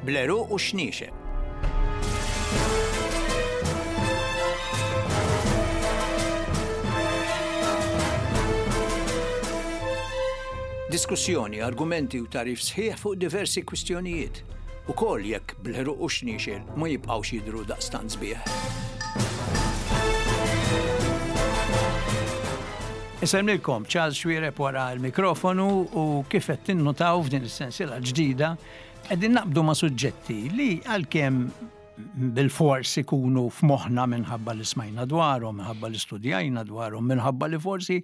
Bl-għeruq u x-xniexel. Diskussjoni, argumenti u tagħrif sħiħ fuq diversi kwistjonijiet, ukoll jekk bl-għeruq u x-xniexel ma jibqgħux jidhru daqstant sbieħ. Insellmilkom, Charles Xuereb wara l-mikrofonu u kif qed tinnutaw f'din is-sensiela ġdida qegħdin naqbdu ma' suġġetti li għalkemm bilfors ikunu f'moħħna minħabba li smajna dwarhom, minħabba li studjajna dwarhom, minħabba li forsi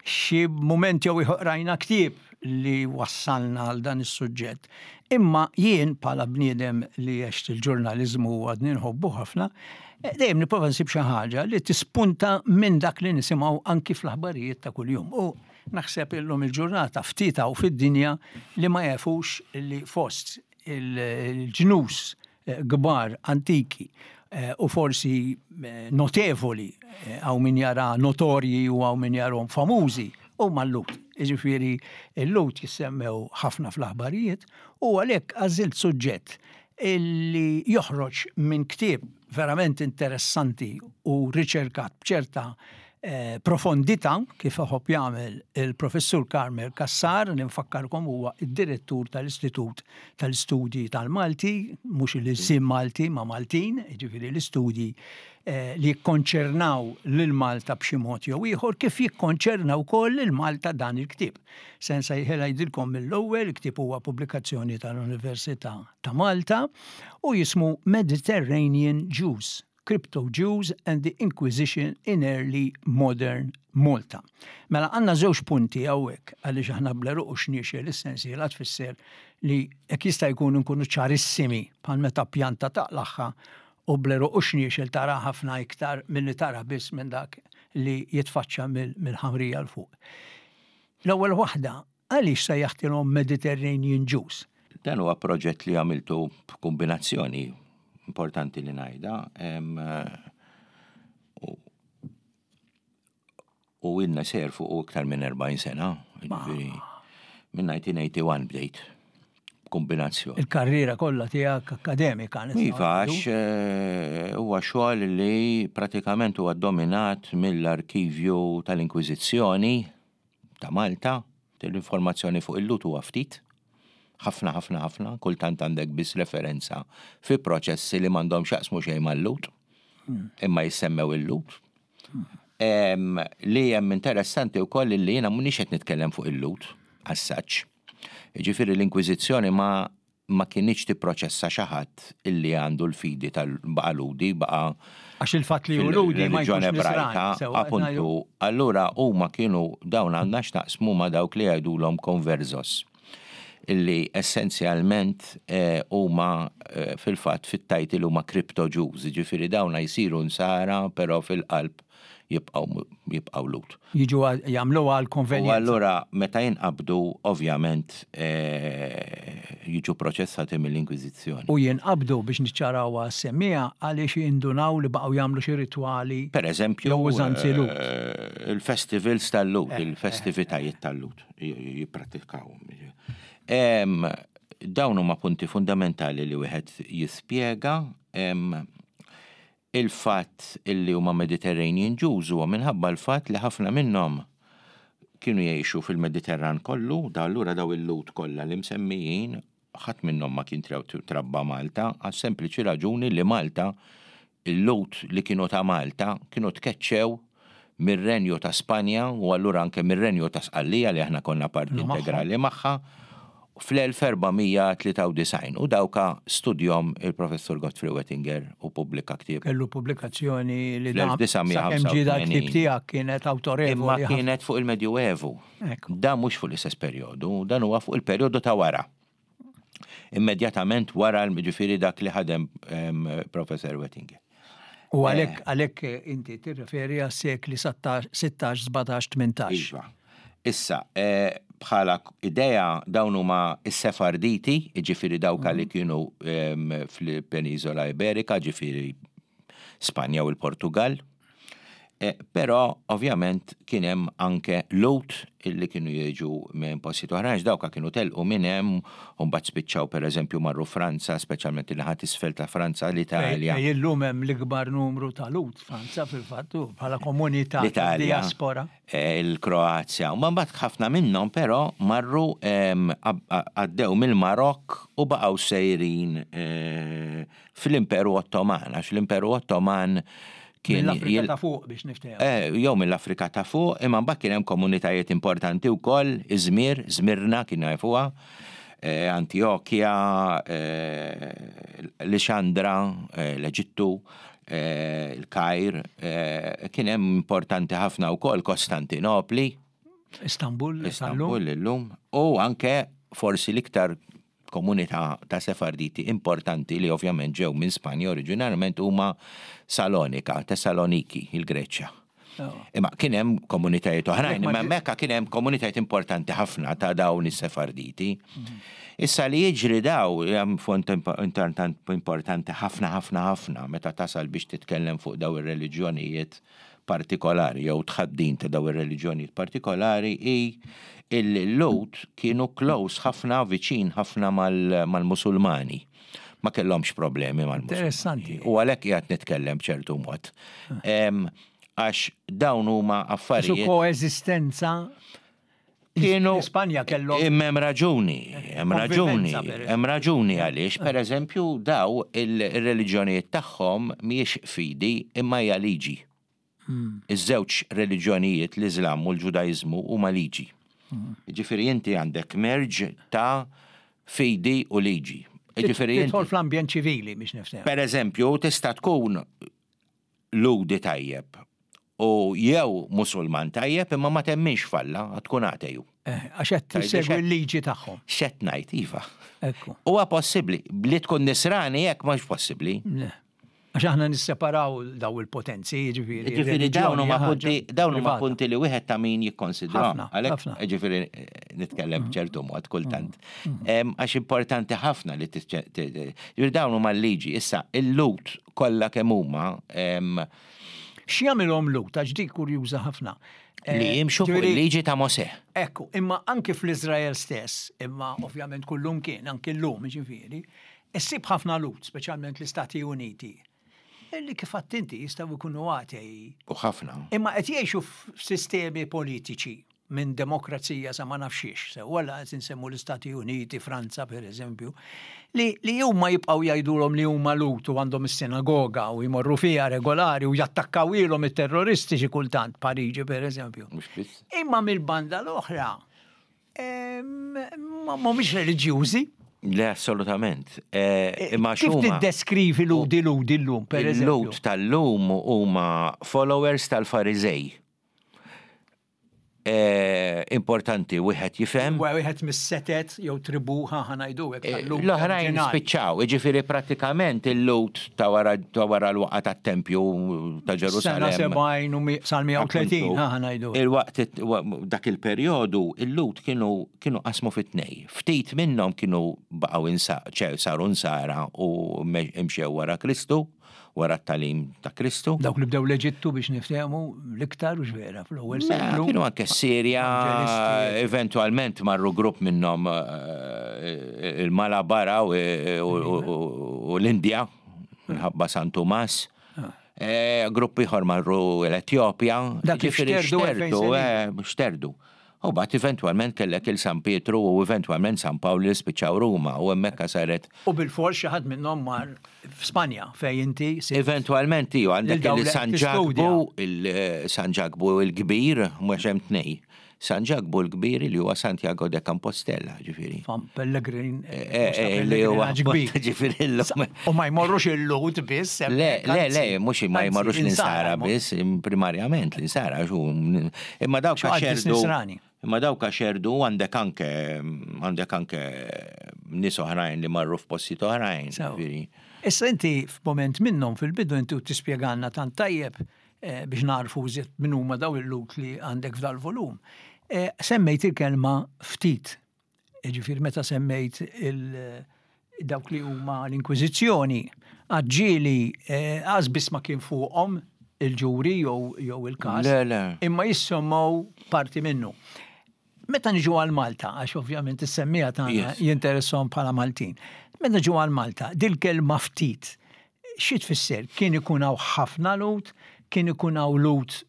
xi mument jew ieħor qrajna ktieb li wassalna għal dan is-suġġett. Imma jien bħala bniedem li għext il-ġurnaliżmu u għadni nħobbu ħafna, eh, dejjem nipprova nsib xi ħaġa li tispunta minn dak li nisimgħu anki fl-aħbarijiet ta' kuljum. U naħseb illum il-ġurnata ftit hawn fid-dinja li ma jafux li fost il-ġnus eh, kbar antiki eh, u forsi eh, notevoli hawn min jara notorji u hawn min jarhom famużi huma l-Lhud. Jiġifieri l-Lhud jissemmew ħafna fl-aħbarijiet u għalhekk għażilt suġġett illi joħroġ minn ktieb verament interessanti u riċerkat b'ċerta eh, profondità kif iħobb jagħmel il-Professur Carmel Cassar li nfakkarkom huwa id-direttur tal-Istitut tal-Istudji tal-Malti, mhux il-sim Malti ma' Maltin, jiġifieri l-istudji eh, li jikkonċernaw lil Malta b'xi mod jew ieħor kif jikkonċerna wkoll lil Malta dan il-ktieb. Se nsejħilha jidilkom mill-ewwel, il-ktieb huwa pubblikazzjoni tal-Università ta' Malta u jismu Mediterranean Jews. Crypto-Jews and the Inquisition in Early Modern Malta. Mela għandna żewġ punti hawnhekk għaliex aħna bl-għeruq u xniexel is-sensiela tfisser li jekk jista' jkun inkunu ċarissimi bħal meta pjanta taqlagħha u bl-għeruq u xniexel tara ħafna iktar milli tara biss minn dak li jitfaċċa mill-ħamrija 'l fuq. L-ewwel waħda, għaliex sejjaħtilhom Mediterranean Jews? Dan huwa proġett li għamiltu b'kombinazzjoni importanti li ngħidha. U ilna sejjer fuq iktar minn 40 sena, jiġifieri minn 1981 bdejt b'kombinazzjoni. Il-karriera kollha tiegħek akkademika. Iva, għax eh, huwa xogħol li pratikament huwa dominat mill-arkivju tal-Inkwiżizzjoni ta' Malta, l-informazzjoni fuq il-Lhud huwa ftit, ħafna ħafna ħafna, kultant għandek biss referenza fi proċessi li m'għandhom x'jaqsmu xejn mal-Lhud, imma jissemmew il-Lhud. Li hemm interessanti wkoll li jiena m'iniex qed nitkellem fuq il-Lhud as such. Jiġifieri l-Inkwiżizzjoni ma ma kinitx tipproċessa xi ħadd illi għandu l-fidi tal baqa' Lhudi, baqa' Għax il-fatt li hu Lhudi ma jkunx Ebrajka, appuntu, allura huma kienu dawn għandna x'naqsmu ma' dawk li jgħidulhom conversos illi essenzjalment eh, huma eh, fil-fatt fit-title huma crypto Jews, jiġifieri dawna jsiru nsara però fil-qalb jibqgħu jibqgħu Lhud. Jiġu jagħmluha għal konvenjenza. U allura meta jinqabdu ovvjament eh, jiġu proċessati mill-Inkwiżizzjoni. U jinqabdu biex niċċarawha għas-semmiegħa għaliex jindunaw li baqgħu jagħmlu xi ritwali. Per eżempju, jew użanzi Lhud. Eh, il-festivals tal-Lhud, eh, il-festivitajiet tal-Lhud jipprattikawhom. Dawn huma punti fundamentali li wieħed jispjega. Il-fatt illi huma Mediterranean Jews huwa minħabba l-fatt li ħafna minnhom kienu jgħixu fil-Mediterran kollu, da allura daw il-Lhud kollha li msemmijin ħadd minnhom ma kien trabba Malta għas-sempliċi raġuni li Malta il-Lhud li kienu ta' Malta kienu tkeċċew mir-Renju ta' Spanja u allura anke mir-Renju ta' Sqallija li aħna konna parti integrali magħha fl-1493 u dawka studjom il-Professur Godfrey Wettinger u pubblika ktieb. Kellu pubblikazzjoni li da sakemm ġie dal-ktieb tiegħek kienet awtorevoli. Imma kienet fuq il-Medjuevu. Dan mhux fuq l-istess perjodu, dan huwa fuq il-perjodu ta' wara. Immedjatament wara ġifieri dak li ħadem Professor Wettinger. U għalhekk għalhekk inti tirreferi għas-sekli 16, 17, 18. Iva. Issa, eh, bħala idea dawn huma s-Sefarditi, ġifieri dawk li mhm. kienu fil-Peniżola Iberika, ġifieri Spanja u l-Portugal. Però ovvjament kien hemm anke Lhud illi kienu jiġu minn postijiet oħrajn għax dawka kienu telqu minn hemm u mbagħad spiċċaw pereżempju marru Franza, speċjalment in-naħa t'isfel ta' Franza, l-Italja. Fejn illum hemm l-ikbar numru ta' Lhud Franza fil-fatt bħala komunità ta' diaspora. Il-Kroazja. U mbagħad ħafna minnhom però marru għaddew mill-Marokk u baqgħu sejrin fl-Imperu Ottoman, għax l-Imperu Ottoman kien. Mill-Afrika ta' fuq biex niftehmu. Eh, jew mill-Afrika ta' fuq, imma mbagħad kien hemm komunitajiet importanti wkoll, Izmir, Zmirna kien jafuha, eh, Antjokja, eh, Lixandra, l-Eġittu, il-Kajr, kien hemm importanti ħafna wkoll Kostantinopli. Istanbul, Istanbul illum, u anke forsi l-iktar komunità ta' Sefarditi importanti li ovvjament ġew minn Spanja oriġinarjament huma Salonika, Tessaloniki, il-Greċja. Oh. Imma kien hemm komunitajiet oħrajn, imma hemmhekk kien hemm komunitajiet importanti ħafna ta' dawn is-Sefarditi. Mhm. Issa li jiġri daw hemm font importanti ħafna ħafna ħafna meta tasal biex titkellem fuq daw ir-reliġjonijiet partikolari jew tħaddin ta' daw ir-reliġjonijiet partikolari hi il-Lhud kienu close ħafna, viċin ħafna mal-Musulmani. Ma kellhomx problemi mal-Musulmani. Interessanti. U għalhekk qiegħed nitkellem b'ċertu mod. Għax dawn huma affarijiet. Su koeżistenza Kienu. Spanja kellhom. Imma hemm raġuni, hemm raġuni, hemm raġuni għaliex, per eżempju, daw il-reliġjonijiet tagħhom mhijiex fidi imma hija liġi. Hmm. Iż-żewġ reliġjonijiet, l-Iżlam u l-Ġudaiżmu huma liġi. Hmm. Ġifieri inti għandek merġ ta' fidi u liġi. Ġifieri Tidħol fl-ambjent ċivili biex nifhem. Per eżempju, tista' tkun Lhudi tajjeb u jew Musulman tajjeb imma ma temminx f'Alla, għad tkun ateju. Eh, għax qed tissegwi l-liġi tagħhom. X'qed ngħid, iva. Ekku. Huwa possibbli, li tkun nisrani hekk mhux possibbli. Għax aħna nisseparaw daw il-potenzi, ġifieri. Ġifieri dawn huma punti, dawn huma punti li wieħed ta' min jikkonsidra. Għalhekk, ġifieri nitkellem mm. b'ċertu mod kultant. Mm. Mm. Għax importanti ħafna li ġifieri dawn huma l-liġi. Issa, il-lut kollha kemm huma. X'jagħmilhom Lut għax dik kurjuża ħafna. Li eh, jimxu fuq il-liġi ta' Mosè. Ekku, imma anki fl-Iżrael stess, imma ovvjament kullum kien, anki llum ġifieri, issib ħafna Lut, speċjalment l-Istati Uniti, li kif inti jistgħu jkunu atei. U ħafna. Imma qed jgħixu f'sistemi politiċi minn demokrazija sa ma nafx xiex, sewwa la qed insemmu l-Istati Uniti, Franza per eżempju, li, li huma jibqgħu jgħidulhom li huma Lhud u għandhom is-sinagoga u jmorru fiha regolari u jattakkaw ilhom it-terroristi xi kultant Pariġi per eżempju. Imma mill-banda l-oħra ma mhumiex reliġjużi. Le, assolutament. Eh, imma Kif tiddeskrivi ludi ludi llum, per eżempju? Il-lud tal-lum huma followers tal-Fariżej. Eh, importanti wieħed jifhem. Wieħed mis-setet jew tribu ħa ngħidu hekk eh, L-oħrajn spiċċaw, jiġifieri pratikament il-lut ta' wara l-waqa tat-tempju ta' Ġerusalemm. Sena 70 u sal-130 ħa ngħidu. Il-waqt dak il-perjodu il-lut kienu kienu qasmu fit-tnej. Ftit minnhom kienu baqgħu saru nsara u mxew wara Kristu wara t-tagħlim ta' Kristu. Dawk li bdew l-Eġittu biex niftehmu l-iktar u vera fl-ewwel mela, seklu. Kienu anke Sirja, eventualment marru grupp minnhom eh, il-Malabara u l-Indja minħabba San Tumas. Ah. Eh, grupp ieħor marru l-Etjopja. Dak xterdu, eh, xterdu. U mbagħad eventwalment kellek il San Pietru u eventwalment San Pawl li spiċċaw Ruma u hemmhekk saret. U bilfors xi ħadd minnhom mar f'Spanja fejn inti sibt. Eventwalment iva għandek il San Ġakbu, il San Ġakbu il-kbir, mhux hemm tnej. San Ġakbu l-kbir li huwa Santiago de Compostela, ġifieri. Fan Pellegrin. Eh, eh, li huwa kbir. Ġifieri l-lum. U ma jmorrux il-Lhud biss. Le, le, le, mhux ma jmorrux l-insara biss, primarjament l-insara, Imma dawk xerdu. Imma dawk xerdu għandek anke għandek anke nies oħrajn li marru f'postijiet oħrajn. Issa inti f'moment minnhom fil-bidu inti u tispjegalna tant tajjeb eh, biex narfu iżjed min huma daw il-lut li għandek f'dal-volum. Eh, semmejt il-kelma ftit. Ġifieri meta semmejt il dawk li huma l-Inkwiżizzjoni, għadġieli eh, għaż biss ma kien fuqhom. il-ġuri jew il-każ. Le, le. Imma jissemmew parti minnu. Meta niġu għal Malta, għax ovvjament is-semmija tagħna jinteressom bħala Maltin. Meta niġu għal Malta, dil-kelma ftit, xi tfisser? Kien ikun hawn ħafna lut, kien ikun hawn lut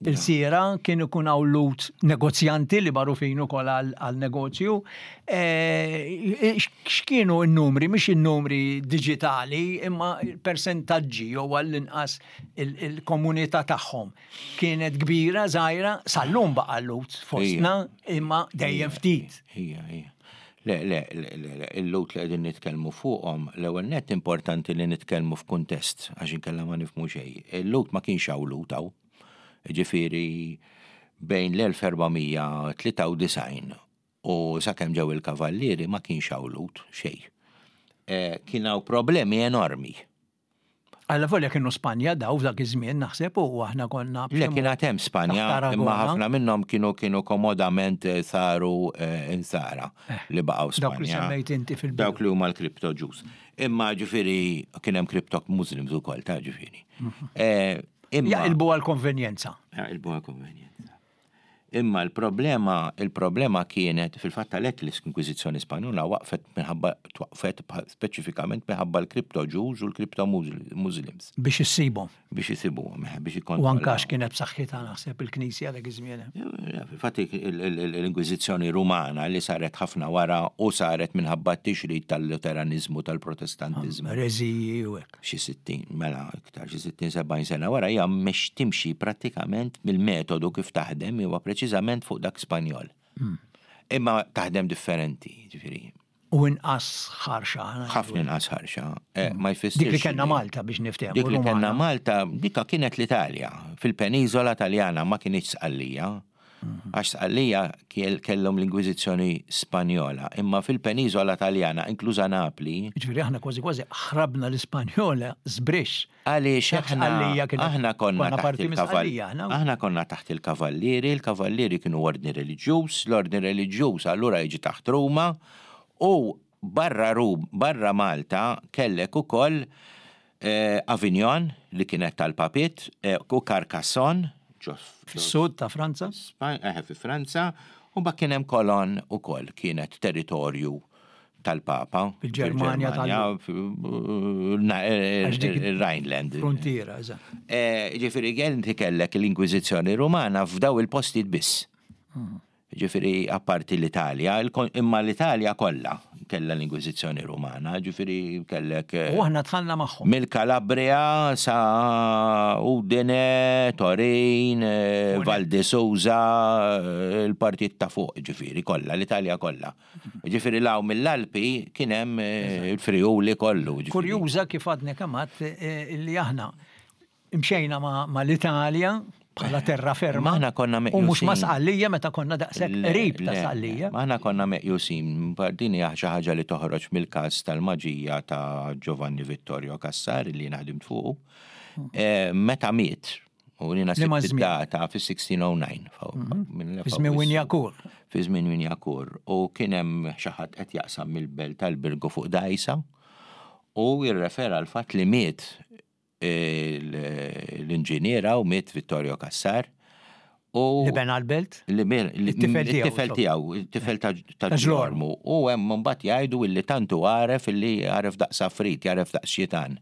il-siera, kien ikun hawn lut negozjanti li magħrufin ukoll għal negozju. Eh, x'kienu n-numri, mhix in-numri diġitali, imma persentaġġi jew għall-inqas il-komunità tagħhom. Kienet kbira, żgħira, sal-lum baqa' lut fostna, imma dejjem ftit. Ija, ija. Le, le, le, il-lut li qegħdin nitkellmu fuqhom, l-ewwel nett importanti li nitkellmu f'kuntest għax inkella ma nifhmu xejn. Il-lut ma kienx hawn lut hawn. Ġifieri bejn l-1493 u sakemm ġew il-kavallieri ma kienx hawn lut xejn. Eh, kien hawn problemi enormi. Alla volja kienu Spanja daw f'dak iż-żmien naħseb u aħna konna. Le kien għad hemm Spanja, imma ħafna minnhom kienu kienu komodament eh, saru eh, insara eh, li baqgħu Spanja. Dawk li semmejt inti fil Dawk li huma l-crypto Jews. Imma ġifieri kien hemm crypto Muslims ukoll ta' ġifieri. Mhm. Jaqilbu għal-konvenjenza. Jaqilbu għal-konvenjenza. Imma l-problema, il-problema kienet, fil-fatt għalhekk l-Inkwiżizzjoni Spanjola waqfet minħabba twaqqfet speċifikament minħabba l-crypto Jews u l-crypto Muslims. Biex issibhom. Biex isibuhom, eh, biex ikkontrollaw. U anke għax kienet b'saħħitha naħseb il-Knisja dak iż-żmien. Eh, fil-fatt l-Inkwiżizzjoni Rumana li saret ħafna wara u saret minħabba t-tixrid tal-Luteraniżmu tal-Protestantiżmu. Reżiji u hekk. Xi 60, mela iktar xi 60 70 sena wara hija mhix timxi prattikament mill-metodu kif taħdem huwa preċiżament fuq dak Spanjol. Hmm. Imma taħdem differenti, ġifieri. U inqas ħarxa. Ħafna inqas ħarxa. Eh, hmm. Ma jfissirx. Dik li kellna Malta biex niftehmu. Dik li kellna Malta, dika kienet l-Italja. Fil-peniżola Taljana ma kienx Sqallija. Għax Sqallija kellhom l-Inkwiżizzjoni Spanjola, imma fil-peniżola Taljana, inkluża Napli. Jiġifieri aħna kważi kważi ħrabna l-Ispanjola żbrixx. Għaliex aħna aħna konna taħt il-kavallieri. Aħna konna taħt il-kavallieri, il-kavallieri kienu ordni reliġjuż, l-ordni reliġjuż allura jiġi taħt Ruma u barra Rum, barra Malta kellek ukoll Avignon li kienet tal-Papiet u Carcassonne ġo Fis-sud ta' Franza? Eħe fi Franza, u mbagħad kien hemm Cologne ukoll kienet territorju tal-Papa. Fil-Ġermanja tal Rhineland. Frontiera, eżatt. Ġifieri inti kellek l-Inkwiżizzjoni Rumana f'daw il-postijiet biss. Hmm. Ġifieri apparti l-Italja, imma l-Italja kollha kellha l-Inkwiżizzjoni Rumana, ġifieri kellek. U aħna dħalna magħhom. Mill-Calabria sa Udine, Torin, Val di Susa, il-partijiet ta' fuq, ġifieri kollha, l-Italja kollha. Ġifieri 'l hawn mill-Alpi kien hemm il-Friuli kollu. Kurjuża kif għadni kemm għedt li aħna Imxejna ma' l-Italja bħala terra ferma. Aħna konna meqjusin. U mhux ma' Sqallija meta konna daqshekk qrib ta' Sqallija. Aħna konna meqjusin, din hija xi ħaġa li toħroġ mill-każ tal-maġija ta' Giovanni Vittorio Cassar li jiena ħdimt fuqu. Eh, meta miet, u jiena sibt id-data fis-1609. Mhm. Fi żmien Winjakur. Fi żmien Winjakur. U kien hemm xi ħadd qed jaqsam mill-belt tal-Birgu fuq dgħajsa u jirrefera l-fatt li miet l-inġiniera u miet Vittorio Cassar. U li bena l-belt? Li it-tifel tiegħu, it-tifel ta' Ġlormu. U hemm mbagħad jgħidu illi tantu għaref illi għaref daqs afrit, għaref daqs xitan.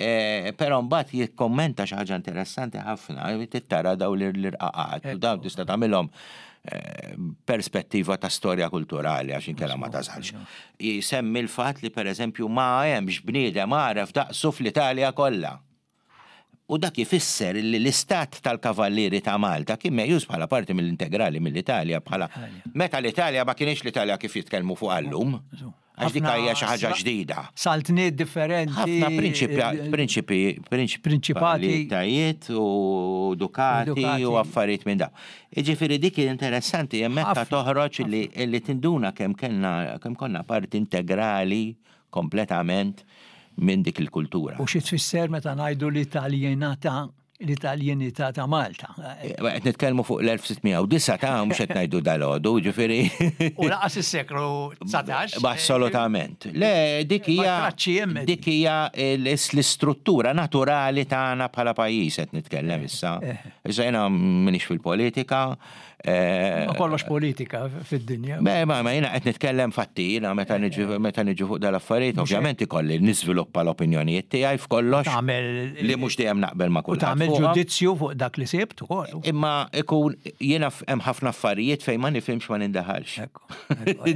E, però mbagħad jikkommenta xi ħaġa interessanti ħafna, tittara daw l-irqaqat, u daw tista' tagħmilhom e, perspettiva ta' storja kulturali għax inkella ma tasalx. Jsemmi l-fatt li pereżempju ma hemmx bniedem għaref daqsu fl-Italja kollha. U dak ifisser li l-istat tal-Kavallieri ta' Malta kien meqjus bħala parti mill-integrali mill-Italja bħala meta l-Italja ma kienx l-Italja kif jitkellmu fuqha llum. Għax dik hija xi ħaġa ġdida. Saltniet differenti. Ħafna prinċipi, prinċipati. Tajiet u dukati u affarijiet minn dawn. Jiġifieri dik interessanti hemmhekk ta' toħroġ li tinduna kemm kellna kemm konna parti integrali kompletament minn dik il-kultura. U xi tfisser meta ngħidu li Taljenata? l-Italjenità ta' Malta. Eh, qed nitkellmu fuq l-1609 ta' mhux qed ngħidu dal-għodu, ġifieri. U laqas is-seklu 19. Assolutament. Le, dik hija dik hija l-istruttura naturali tagħna bħala pajjiż qed nitkellem eh, issa. Eh. Issa jiena m'iniex fil-politika, Eh, ma kollox politika fid-dinja. Ma, ma, ma jina qed nitkellem fatti, jina meta eh, niġu meta niġu fuq dal-affarijiet, ovvjament ikolli niżviluppa l-opinjonijiet tiegħi f'kollox. Li mhux dejjem naqbel ma' kulħadd. Tagħmel ġudizzju fuq dak li sibt ukoll. Imma ikun jiena hemm ħafna affarijiet fejn ma nifhimx ma nindaħalx.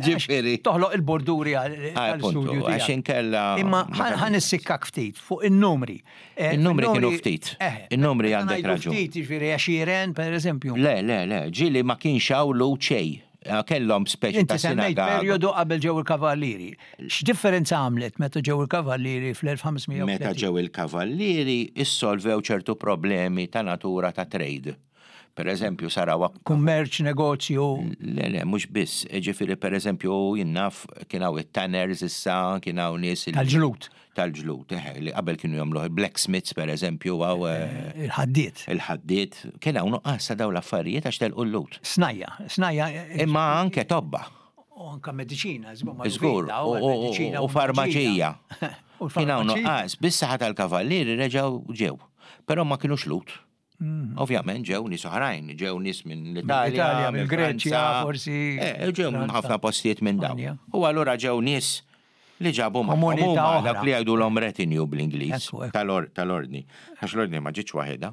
Ġifieri. Toħloq il-borduri għal-studju. Għax inkella. Imma ħan issikkak ftit fuq in-numri. Eh, In-numri kienu ftit. Eh, In-numri għandek raġun. Ftit, jiġifieri għexieren, per eżempju. Le, le, le, ġieli ma kienx hawn lu xejn. Eh, kellhom speċi ta' sinagoga. perjodu qabel ġew il-kavallieri. X'differenza għamlet meta ġew il-kavallieri fl-1530? Meta ġew il-kavallieri issolvew ċertu problemi ta' natura ta' trade. Per eżempju, saraw Kummerċ, negozju. Le, le, mhux biss. Ġifieri per eżempju, jien naf kien hawn it-tanners issa, kien hawn nies. Tal-ġlud. Tal-ġlud, eħe, li qabel kienu jagħmlu blacksmiths per eżempju, hawn. Eh, il-ħaddiet. Il-ħaddiet. Kien hawn nuqqas ta' dawn l-affarijiet għax telqu l-lut. Snajja, snajja. Eh, Imma anke tobba. U anke mediċina, żgur. U farmaċija. Kien hawn nuqqas, bis-saħħa tal-kavallieri reġgħu ġew. Però ma kinux lut. Mm. Ovvjament ġew nies oħrajn, ġew nies minn l-Italja, minn Greċja, forsi. Eh, ġew minn ħafna postijiet minn dawn. U allura ġew nies li ġabu komunità dak li jgħidulhom retinue bl-Ingliż tal-ordni. Għax l-ordni ma ġietx waħedha.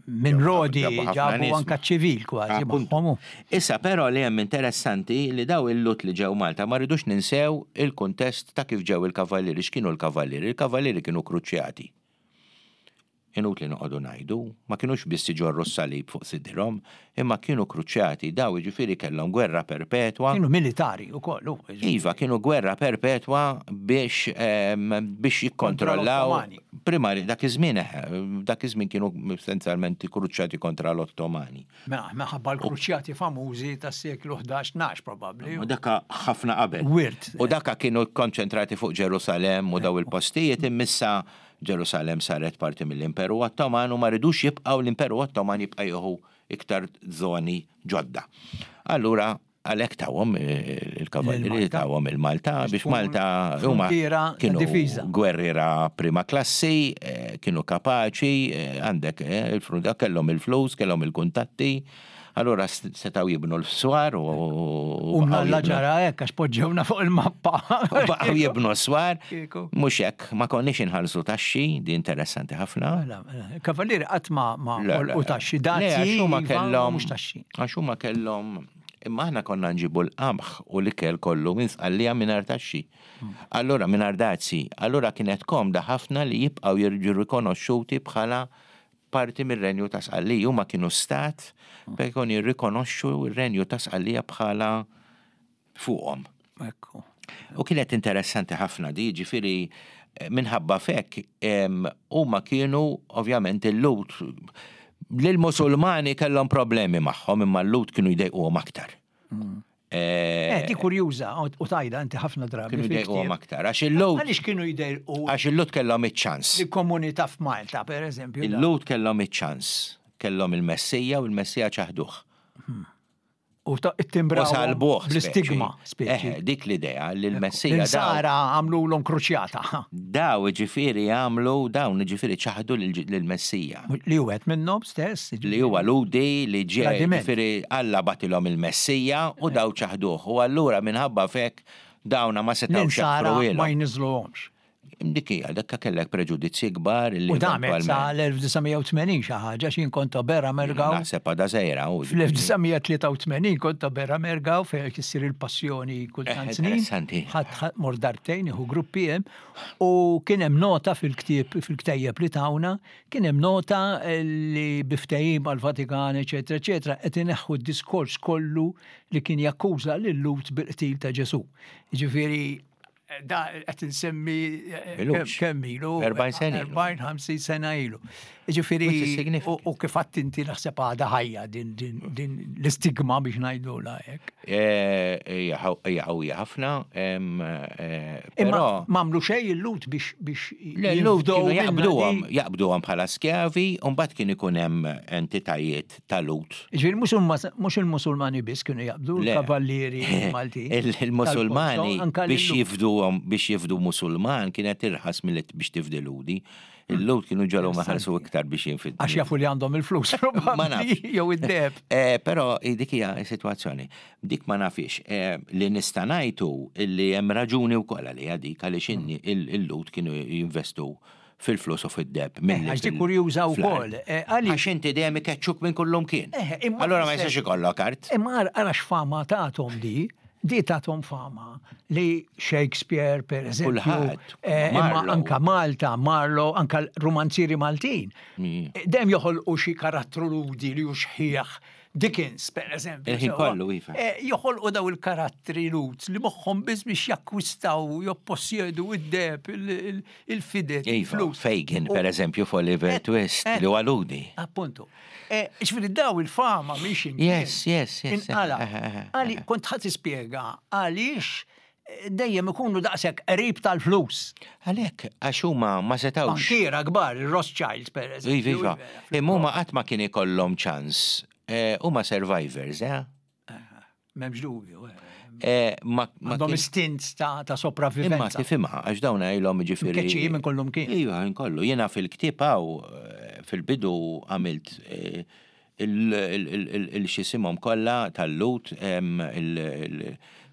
Minn Rodi ġabu anka ċivil kważi magħhom. Issa però li hemm interessanti li daw il-lut li ġew Malta ma rridux ninsew il-kuntest ta' kif ġew il-kavallieri, x'kienu l-kavallieri? Il-kavallieri kienu kruċjati. Inutli noqogħdu ngħidu, ma kinux biss iġorru s-salib fuq sidirhom, imma kienu kruċjati, daw jiġifieri kellhom gwerra perpetwa. Kienu militari wkoll, hu. Iva, kienu gwerra perpetwa biex biex jikkontrollaw. Primari, dak iż-żmien eħe, dak iż-żmien kienu essenzjalment kruċjati kontra l-Ottomani. Mela, minħabba l-kruċjati famużi tas-seklu 11-12 probabbli. U daka ħafna qabel. Wirt. U daka kienu kkonċentrati fuq Ġerusalemm u daw il-postijiet imma issa Ġerusalemm saret parti mill-Imperu Ottoman u ma ridux jibqgħu l-Imperu Ottoman jibqa' jieħu iktar żoni ġodda. Allura għalhekk tawhom eh, il-kavallieri tawhom il-Malta biex Malta huma kienu gwerriera prima klassi, eh, kienu kapaċi, eh, għandek il-frunta kellhom il-flus, kellhom il-kuntatti. Allura setgħu jibnu l-swar u. U mnalla ġara hekk għax poġġewna fuq il-mappa. U baqgħu jibnu s-swar. Mhux hekk, ma konniex inħallsu taxxi, di interessanti ħafna. Mela, mela, Kavallieri qatt ma ma u taxxi, dazji huma iva, kellhom mhux taxxi. Għax huma kellhom imma aħna konna nġibu l-qamħ u l-ikel kollu minn Sqallija mingħajr taxxi. Allura mingħajr dazji, allura kienet komda ħafna li jibqgħu jirġu rikonoxxuti bħala parti mir-Renju ta' Sqallija. Huma kienu stat fejn kienu jirrikonoxxu r-Renju ta' Sqallija bħala fuqhom. Ekku. U kienet interessanti ħafna di, ġifieri minħabba fek huma kienu ovvjament il-Lhud lill-Musulmani kellhom problemi magħhom imma l-Lhud kienu jdejquhom aktar. Mm. Eh, di kurjuża u tajda inti ħafna drabi. Kienu jdejquhom aktar. Għax il-Lhud. Għaliex kienu jdejqu? Għax il-Lhud kellhom iċ-ċans. Il-komunità f'Malta, per eżempju. Il-Lhud kellhom iċ-ċans. Kellhom il-Messija u l-Messija ċaħduh. Hmm. U it-timbra. U salbuh. Bl-istigma, speċi. Eh, dik l-idea li l-Messija. Sara għamlu l-om kruċjata. Daw ġifiri għamlu, dawn ġifiri ċaħdu l-Messija. Li u għet minnom stess. Li huwa Lhudi li ġie ġifieri Alla bagħtilhom il-Messija u daw ċaħduh. U allura minħabba f'hekk dawna ma setgħux jaħfruhielhom. Ma jniżżluhomx. Dik hija, dakka kellek preġudizzji kbar li. U damet sa l-1980 xi ħaġa x'jien kont Oberra Mergaw. Naħseb għadha żgħira. Fl-1983 kont Oberra Mergaw fejn qed issir il-passjoni kull tant snin. Interessanti. Ħadd mort darbtejn nieħu gruppi hemm u kien hemm nota fil-ktieb fil-ktejjeb li tawna Kien hemm nota li bi ftehim mal-Vatikan, eċetera, eċetera, qed ineħħu d-diskors kollu li kien jakkuża lil-Lhud bil-qtil ta' Ġesù. Jiġifieri. Da qed insemmi kemm ilu? 40 sena. 40, 50 sena ilu. Ġifieri u kif għadt inti naħseb għadha ħajja din l-istigma biex ngħidulha hekk. Hija qawwija ħafna. Però m'għamlu xejn il-Lhud biex biex Il-Lhud kienu jaqbduhom, jaqbduhom bħala skjavi u mbagħad kien ikun hemm entitajiet ta' Lhud. Ġifieri mhux il-Musulmani biss kienu jaqbdu l-kavallieri Maltin. Il-Musulmani biex jifduhom biex jifdu Musulman kienet irħas milli biex tifdi Lhudi. Il-Lhud kienu ġalhom iħallsu iktar biex jinfiddu. Għax jafu li għandhom il-flus probabbli jew id-deheb. Però dik hija s-sitwazzjoni. Dik ma nafhiex. Li nista' ngħid hu li hemm raġuni wkoll għaliha dik għaliex il-Lhud kienu jinvestu fil-flus u fid-deheb milli. Għax dik kurjuża wkoll. Għax inti dejjem ikeċċuk minn kullumkien. Allura ma jistax ikollok art. Imma ara x'fama tagħthom di. Di tathom fama li Shakespeare, per eżempju, Kulħadd. imma anka Malta, Marlowe, anka l-romanzieri Maltin. Dejjem joħolqu xi karattru ludi li hu xħiħ. Dickens, per eżempju. Il-ħin kollu, iva. Joħolqu daw il-karattri lud li moħħhom biss biex jakkwistaw, joppossjedu id-deheb, il-fided, il-flus. Iva, Fagin, per eżempju, f'Oliver Twist, li huwa ludi. Appuntu. Ġifieri daw il-fama mhix imkien. Yes, yes, yes. Inqala. Għali kont ħadd tispjega għaliex dejjem ikunu daqshekk qrib tal-flus. Għalhekk, għax huma ma setgħux. Bankiera kbar, il-Rothschilds per eżempju. Iva, iva. Imma huma qatt ma kien ikollhom ċans. Huma survivors, eh? M'hemmx dubju. Għandhom istint ta' sopravivenza. Imma tifhimha għax dawn ilhom jiġifieri. Mkeċċijin minn kullum kien. Iva, minn kollu. Jiena fil-ktieb hawn fil-bidu għamilt il-xisimhom kollha tal-Lhud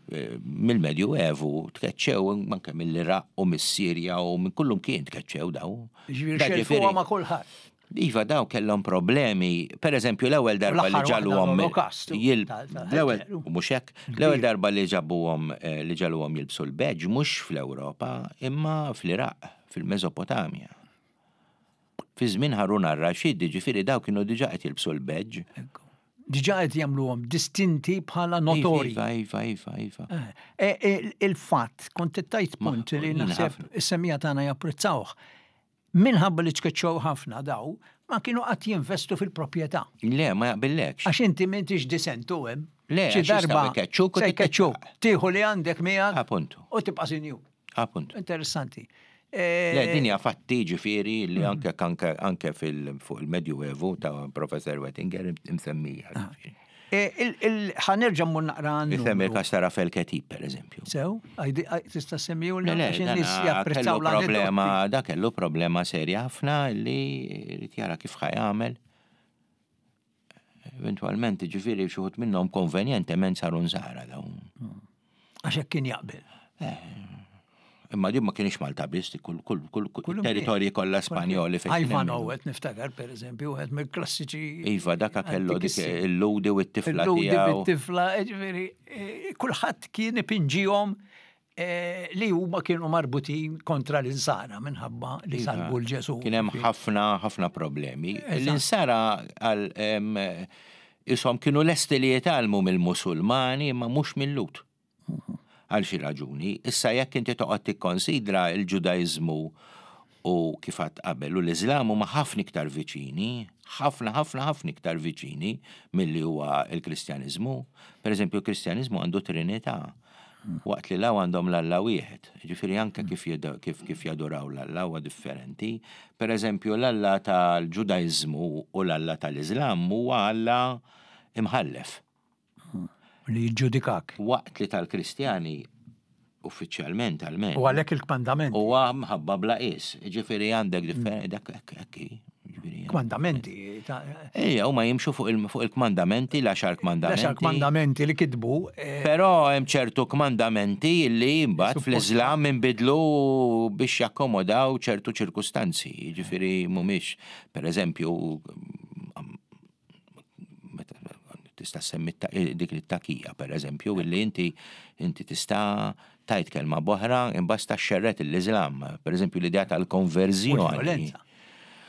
mill-Medju Evu tkeċċew anke mill-Iraq u mis-Sirja u minn kullum kien tkeċċew dawn. Ġifieri xelfuha ma' kulħadd. Iva dawn kellhom problemi, per eżempju l-ewwel darba li ġagħluhom l-ewwel mhux hekk, l-ewwel darba li ġabuhom li ġagħluhom jilbsu l-badge mhux fl-Ewropa imma fl-Iraq, fil-Mesopotamja. Fi żmien Harun ar-Rashid, jiġifieri dawn kienu diġà qed jilbsu l-badge. Diġà qed jagħmluhom distinti bħala notorji. Iva, iva, iva, iva. Il-fatt, kont qed tgħid punt li naħseb is-semmiegħa tagħna japprezzawh. Minħabba li tkeċċew ħafna daw, ma kienu qatt jinvestu fil-proprjetà. Le, ma jaqbillekx. Għax inti m'intix disentu hemm. Le, Xi darba jkeċċuk se jkeċċuk. Tieħu li għandek miegħek. Appuntu. U tibqa' sinjur. Appuntu. Interessanti. Le, din hija fatti ġifieri li anke anke anke fil fuq il-Medjuevu ta' Professor Wettinger imsemmija. Ah. Ħa nerġa' mmur naqra għan. Isemmi il-każ ta' Rafael Ketib, per eżempju. Sew, tista' semmiju l Le, le, problema, da kellu problema serja ħafna li jrid jara kif ħa jagħmel. Eventualment, ġifieri xi wħud minnhom konvenjentement saru nsara dawn. Għax hekk kien jaqbel. Imma din ma kienx Malta biss, kull kull kull kull territorji kollha Spanjoli fejn. Ivan Owet niftakar pereżempju wieħed mill-klassiċi. Iva dak kellu dik il-ludi u t-tifla tiegħu. Il-ludi bit-tifla, ġifieri eh, kulħadd kien ipinġihom eh, li huma kienu marbutin kontra l-insara minħabba li iva, salbu l-Ġesu. Kien hemm ħafna ħafna problemi. L-insara għal ishom kienu lesti li jitgħallmu mill-Musulmani imma mhux mill-Lhud. Għal xi raġuni. Issa jekk inti toqgħod tikkonsidra l-Ġudaiżmu u kif għadt qabel u l-Iżlam huma ħafna iktar viċini, ħafna ħafna ħafna iktar viċini milli huwa l-Kristjaniżmu. Per eżempju, l-Kristjaniżmu għandu Trinità, waqt li l-hawn għandhom l-Alla wieħed. Ġifieri anke kif kif kif jaduraw l-Alla huwa differenti. Per eżempju, l-Alla tal-Ġudaiżmu u l-Alla tal-Iżlam huwa Alla imħallef. Li jiġġudikak. Waqt li tal-Kristjani uffiċjalment almenu. U għalhekk il-kmandamenti. Huwa mħabba bla qies. Ġifieri għandek differenti dak hekk hi. Kmandamenti. Ejja, huma jimxu fuq il-kmandamenti, l-għaxar kmandamenti. L-għaxar kmandamenti li kitbu. Eh, Però hemm ċertu kmandamenti li mbagħad fl-Iżlam inbidlu biex jakkomodaw ċertu ċirkustanzi. Ġifieri mhumiex, pereżempju, tista' semmi dik it-takija per eżempju, illi inti inti tista' tajt kelma boħra imbasta xerret l-Iżlam, per eżempju l-idea tal-konverżjoni.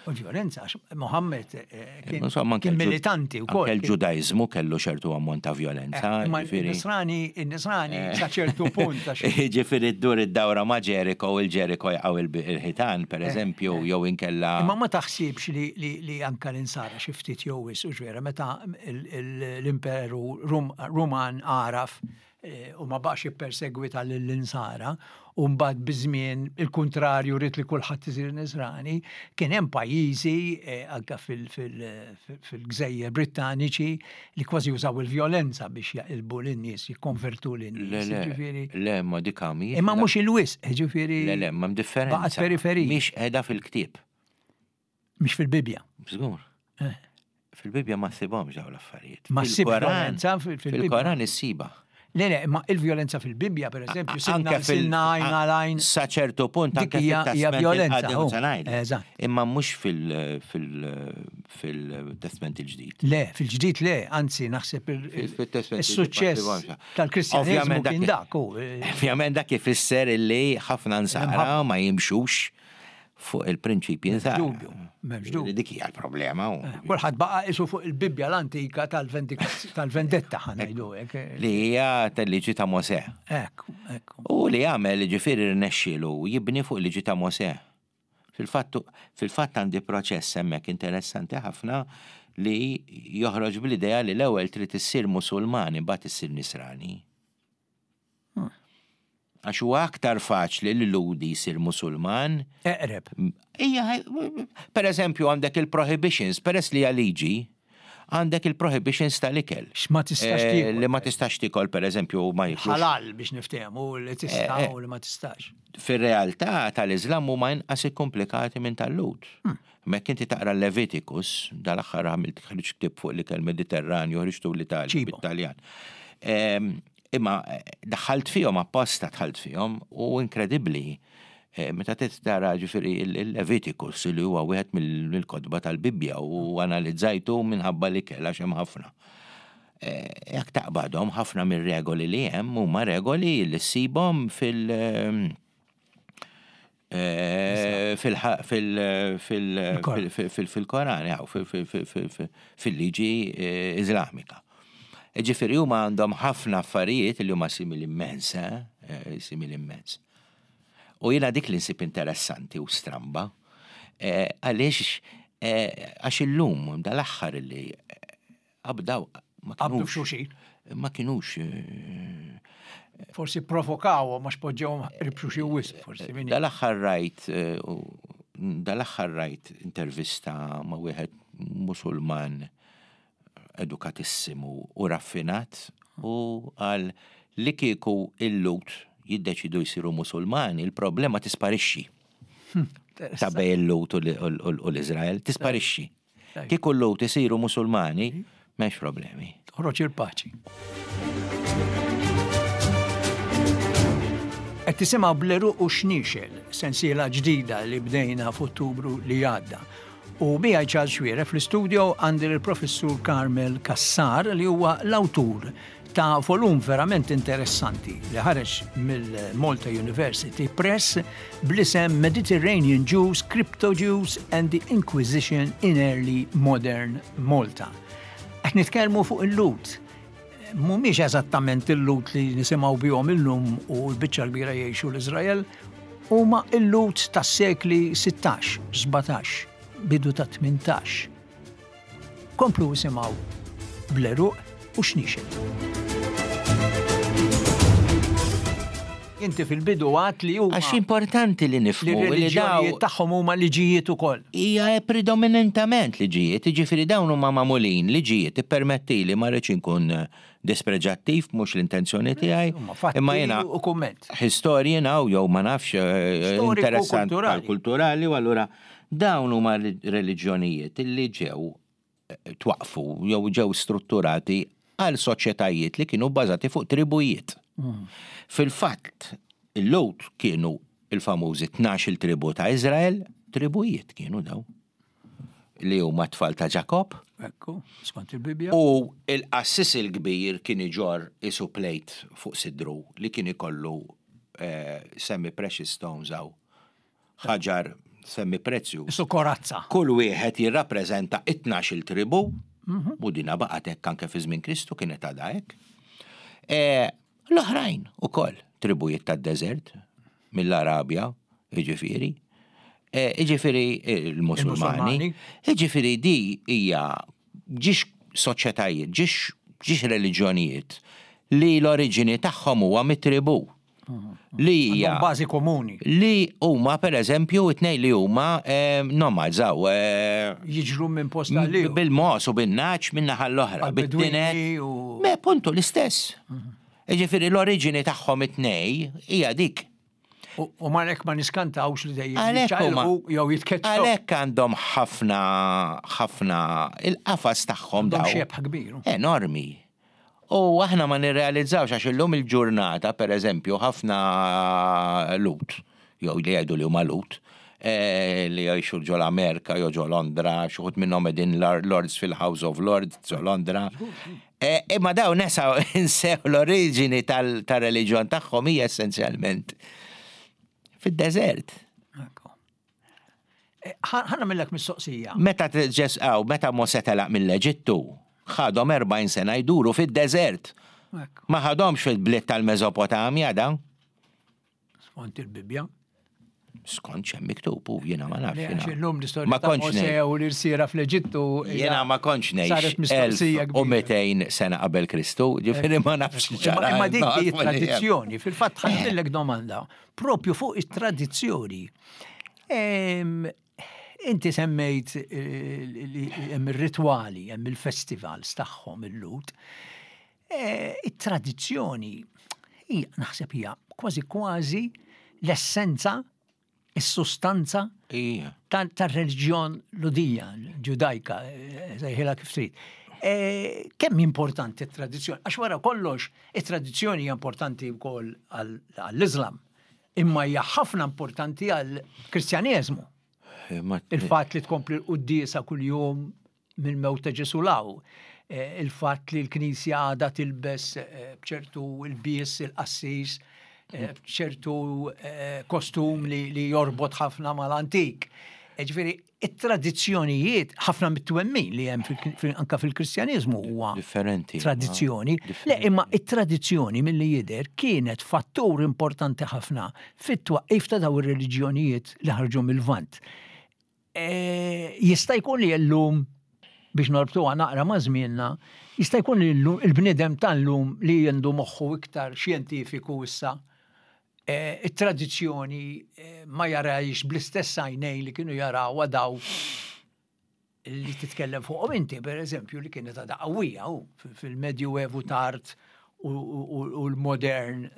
U l-vjolenza, għax Mohammed eh, kien kien militanti wkoll. Anke l-Ġudaiżmu kellu ċertu ammont ta' vjolenza. Eh, imma n-Nisrani, n-Nisrani eh. sa ċertu punt. Ġifieri ddur id-dawra ma' Ġeriko u l-Ġeriko jaqgħu il-ħitan, per eżempju, jew inkella. Imma ma taħsibx li anka l-insara xi ftit jew wisq u ġvera meta l-Imperu Ruman għaraf u ma baqax jippersegwita lill-Insara, u mbagħad biż-żmien il-kuntrarju ried li kulħadd isir Nisrani, kien hemm pajjiżi anke fil-gżejjer Brittaniċi li kważi użaw il-vjolenza biex jaqilbu lin-nies, jikkonvertu lin-nies. Le, le, le, ma dik mhijiex. Imma mhux il-wisq, jiġifieri. Le, le, ma hemm differenza. Baqgħet periferija. Mhix qiegħda fil-ktieb. Mhix fil-Bibbja. Żgur. Eh. Fil-Bibbja ma ssibhomx dawn l-affarijiet. Ma ssib violenza fil-Bibbja. Fil-Koran issiba. Le, le, ma il-violenza fil-Bibbja, per eżempju, sinna sinna għajna lajn. Sa ċertu punt anke hija violenza. Eżatt. Imma mhux fil-Testment il-ġdid. Le, fil-ġdid le, anzi naħseb il-suċċess tal-Kristjaneżmu kien dak. Ovvjament dak ifisser illi ħafna nsara ma jimxux fuq il-prinċipji nsara. Dubju, m'hemmx dubju. Dik hija l-problema. Eh, kulħadd baqa' isu fuq il-Bibbja l-antika tal-vendetta ħanajdu hekk. Eh. Li hija tal-liġi ta' Mosè. Ekk, ekk. U li għamel ġifieri rnexxielu jibni fuq il-liġi ta' Mosè. Fil-fatt fil-fatt għandi proċess hemmhekk interessanti ħafna li joħroġ bl-idea li l-ewwel trid issir Musulman imbagħad issir Nisrani. Għax huwa aktar faċli li Lhudi jsir Musulman. Eqreb. Ija, per eżempju għandek il-prohibitions, peress li hija liġi, għandek il-prohibitions tal-ikel. X'ma tistax eh, tiekol. Li ma tistax tiekol per eżempju ma jiklux. Halal biex niftehmu li tista' eh, eh. u li ma tistax. Fir-realtà tal-Iżlam huma inqas ikkomplikati minn tal-Lhud. Mekk inti taqra Leviticus, dal-aħħar għamilt ħriġt ktieb fuq l-ikel Mediterranju, ħriġtu l-Italja, bit-Taljan. Ehm, imma eh, daħħalt fihom apposta dħalt fihom u inkredibbli eh, meta trid tara ġifieri il-Leviticus li huwa wieħed mill-kotba tal-Bibbja u analizzajtu minħabba l-ikel għax hemm ħafna. Eh, jekk taqbadhom ħafna mir-regoli li hemm huma regoli li ssibhom fil- fil-Koran, fil-liġi Iżlamika. Ġifieri huma għandhom ħafna affarijiet li huma simili immens, eh, simili immens. U jiena dik li nsib interessanti u stramba, eh, għaliex eh, għax illum dal-aħħar li Qabdaw, ma kinux. Qabdu f'xulxin. Ma kinux. Eh, forsi provokaw, ma xpoġġewhom qrib xulxin wisq, forsi. Dal-aħħar rajt, eh, dal-aħħar rajt intervista ma' wieħed Musulman edukatissimu u raffinat u għal li kieku il-Lut jiddeċidu jsiru Musulmani, il-problema tisparixxi. Hm, Ta' bej il-Lut u l-Izrael, tisparixxi. Kieku l-Lhud isiru Musulmani, m'hemmx problemi. Toħroġ il-paċi. Qed tisimgħu Bl-Għeruq u Xniexel, sensiela ġdida li bdejna f'Ottubru li għadda. U miegħi Charles Xuereb fl-istudio għandi lill-Professur Carmel Cassar li huwa l-awtur ta' volum verament interessanti li ħareġ mill-Malta University Press bl-isem Mediterranean Jews, Crypto Jews and the Inquisition in Early Modern Malta. Qed nitkellmu fuq il-Lhud. Mhumiex eżattament il-Lhud li nisimgħu bihom illum u l-biċċa l-kbira jgħixu l-Iżrael, huma il-Lhud tas-sekli 16, 17, bidu ta' 18. Komplu isimgħu bl-għeruq u xniexel. Inti fil-bidu għat li huma. Għax importanti li nifhmu li dawn tagħhom huma liġijiet ukoll. Hija predominantament liġijiet, jiġifieri dawn huma magħmulin liġijiet, ippermettili ma rridx inkun dispreġattiv mhux l-intenzjoni tiegħi. Imma jiena u kumment. Historian hawn jew ma nafx eh, interessant kulturali u allura Dawn huma reliġjonijiet li ġew twaqqfu jew ġew strutturati għal soċjetajiet li kienu bbażati fuq tribujiet. Fil-fatt, il-Lhud kienu il-famużi 12-il tribu ta' Iżrael, tribujiet kienu dawn li huma t-tfal ta' Ġakobb. Ekku, skont il-Bibbja. U il-qassis il-kbir kien iġorr isu plate fuq sidru li kien ikollu eh, semi precious stones hawn ħaġar Semi prezzjuż. Isu korazza. Kull wieħed jirrappreżenta it-tnax-il tribù, u dina baqgħet hekk anke fi żmien Kristu kienet għadha hekk. E, l-oħrajn ukoll tribujiet tad-deżert mill-Arabja, jiġifieri. E, jiġifieri il-Musulmani. Jiġifieri di hija ġiex soċjetajiet, ġiex ġiex reliġjonijiet li l-oriġini tagħhom huwa mit-tribù. Li hija. Bażi komuni. Li huma pereżempju it-tnejn li huma eh, nomads hawn. Eh, Jiġru minn post għal ieħor. Bil-mos u bin-naċ minn naħa l-oħra. Bit-tinet. Me puntu l-istess. Mhm. Ġifieri l-oriġini tagħhom it-tnej hija dik. U marek ma niskantawx li dejjem jiċċaqilqu jew jitkeċċew. Għalhekk għandhom ħafna ħafna il-qafas tagħhom dawn. Xebħ kbir. Enormi. U aħna ma nirrealizzawx għax illum il-ġurnata, per eżempju, ħafna Lhud, jew li jgħidu li huma Lhud, eh, li jgħixu ġo l-Amerika jew ġo Londra, xi wħud minnhom qegħdin Lords fil-House of Lords ġo Londra. Eh, imma dawn nesa insew l-oriġini tal-reliġjon tagħhom hija essenzjalment fid-deżert. Ħa nagħmillek mistoqsija. Meta ġesqaw, meta Mosè telaq mill-Eġittu, ħadhom 40 sena jduru fid-deżert. Ma ħadhomx fil-bliet tal-Mesopotamja dan. Skont il-Bibbja. Skont x'hemm miktub u jiena ma nafx. Illum l-istorja ma kontx Mosè u l-irsiera fl-Eġittu. Jiena ma kontx ngħix 1200 sena qabel Kristu, ġifieri ma nafx ġara. Imma dik hi tradizzjoni, fil-fatt ħa domanda propju fuq it-tradizzjoni. Inti semmejt eh, li hemm ir-ritwali, hemm il-festivals tagħhom il-Lut. Eh, it-tradizzjoni hija naħseb hija kważi kważi l-essenza, is-sustanza tar-reliġjon Ludija, ġudajka, eh, sejħilha kif trid. Kemm importanti t-tradizzjoni? Għax wara kollox, it-tradizzjoni hija importanti wkoll għall-Islam. Imma hija ħafna importanti għall-Kristjaneżmu. Il-fatt li tkompli l-quddiesa kuljum mill-mewt ta' Ġesù law, eh, il-fatt li l-Knisja għadha tilbes eh, b'ċertu il-bies, il-qassis, eh, b'ċertu kostum li jorbot ħafna mal-antik. Ġifieri, it-tradizzjonijiet ħafna mit-twemmin li hemm anka fil-Kristjaniżmu huwa differenti. Tradizzjoni. Le imma it-tradizzjoni milli jidher kienet fattur importanti ħafna fit-twaqqif ta' daw ir-reliġjonijiet li ħarġu mill-Lvant. E, jista' jkun li llum biex norbtuha naqra ma' żmienna, jista' jkun li il-bniedem tal-lum li għandu moħħu iktar xjentifiku issa Eh, it-tradizzjoni eh, ma jarajx bl-istess għajnejn li kienu jarawha daw li titkellem fuqhom inti, per eżempju, li kienet għadha qawwija fil-Medju Evu tard u l-modern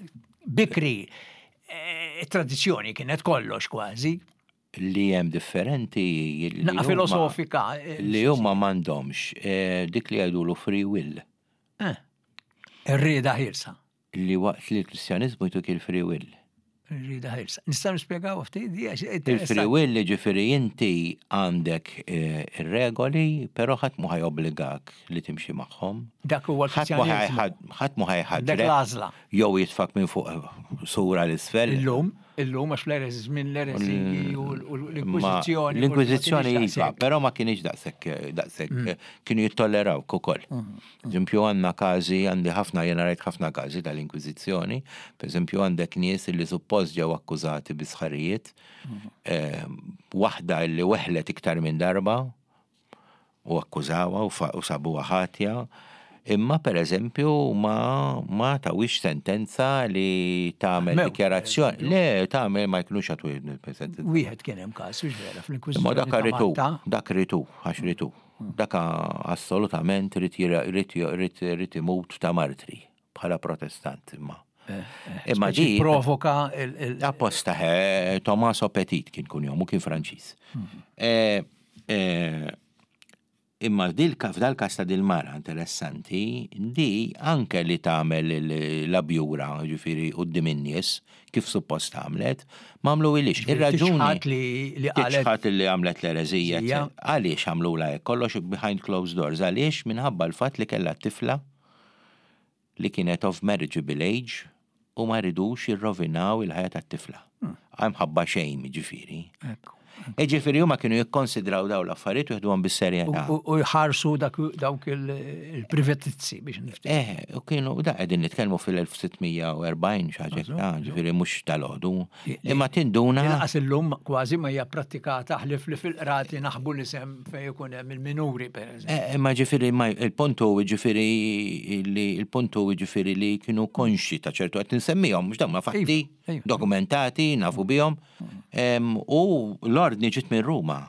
bikri. Eh, it-tradizzjoni kienet kollox kważi. Li hemm differenti. Naqa filosofika. Li huma m'għandhomx dik li jgħidulu free will. Ir-rieda ħielsa. Li waqt li l-Kristjaniżmu jtuk il-free will. Ir-rieda ħielsa. Nistgħu nispjegaw ftit di għax Il-free will ġifieri inti għandek eh, ir-regoli, però ħadd mhu ħajobbligak li timxi magħhom. Dak huwa l-Kristjaniżmu. Ħadd mhu ħajħaġġrek. Dak l-għażla. Jew jitfak minn fuq sura l-isfel. Illum, illum għax l-ereż żmien l-ereżiji u l-Inkwiżizzjoni. L-Inkwiżizzjoni iva, però ma kienx daqshekk daqshekk mm. kienu jittollerawk ukoll. Mm. Eżempju għandna każi, għandi ħafna, jiena rajt ħafna każi tal-Inkwiżizzjoni, pereżempju għandek nies li suppost ġew akkużati bi sħarijiet, eh, waħda li weħlet iktar minn darba u akkużawha u sabuha ħatja, imma pereżempju ma ma tawhiex sentenza li tagħmel dikjarazzjoni. Le, tagħmel ma jkunux għatu sentenza. Wieħed kien hemm każ, vera, fl-Inkwiżizzjoni. Ma dak ritu, dak ritu, għax ritu. Dak assolutament ried imut ta' martri bħala Protestant imma. Eh, eh, imma di provoka il. Apposta eh, Tommaso Petit kien kun jomu kien Franċiż. Mhm. Imma f'dal-każ ta' dil-mara interessanti, di anke li tagħmel l-abjura, ġifieri quddiem in-nies, kif suppost għamlet, ma għamluhilix. Ir-raġuni. Tiċħad li li qalet. Tiċħad li għamlet l-ereżija. Għaliex għamlulha hekk? Kollox behind closed doors. Għaliex? Minħabba l-fatt li kellha tifla li kienet of marriageable age u ma ridux jirrovinaw il-ħajja tat-tifla. Imħabba shame, ġifieri. Jiġifieri huma kienu jikkonsidraw dawn l-affarijiet u jieħduhom bis-serjetà. U jħarsu dawk il-privatizzi biex niftehmu. Eh, u kienu da qegħdin nitkellmu fil-1640 xi ħaġa hekk, ġifieri mhux tal-għodu. Imma tinduna. Lanqas illum kważi ma hija prattikata ħlief li fil-qrati naħbu l-isem fejn ikun hemm il-minuri pereżempju. Eh, imma ġifieri il-punt hu ġifieri li il-punt hu ġifieri li kienu konxi ta' ċertu qed insemmihom mhux dawn ma fatti iva, iva. dokumentati nafu bihom. U l-ordni ġiet minn Ruma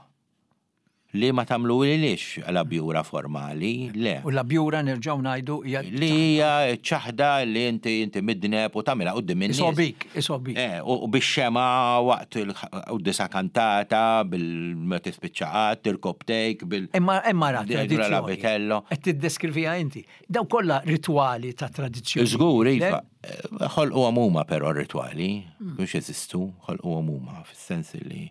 li ma tagħmluhilix l-abjura formali, le. U l-abjura nerġgħu ngħidu hija. Li hija ċaħda li inti inti midneb u tagħmilha quddiem in-nies. Isobik, isobik. Eh, u bix-xemgħa waqt il-quddiesa kantata bil ma tispiċċa qatt, tirkobtejk bil. Imma imma ra tradizzjoni. Qed tiddeskriviha inti. Daw kollha ritwali ta' tradizzjoni. Żgur, iva. Ħolquhom huma però r-ritwali, mhux jeżistu, ħolquhom huma fis-sens li.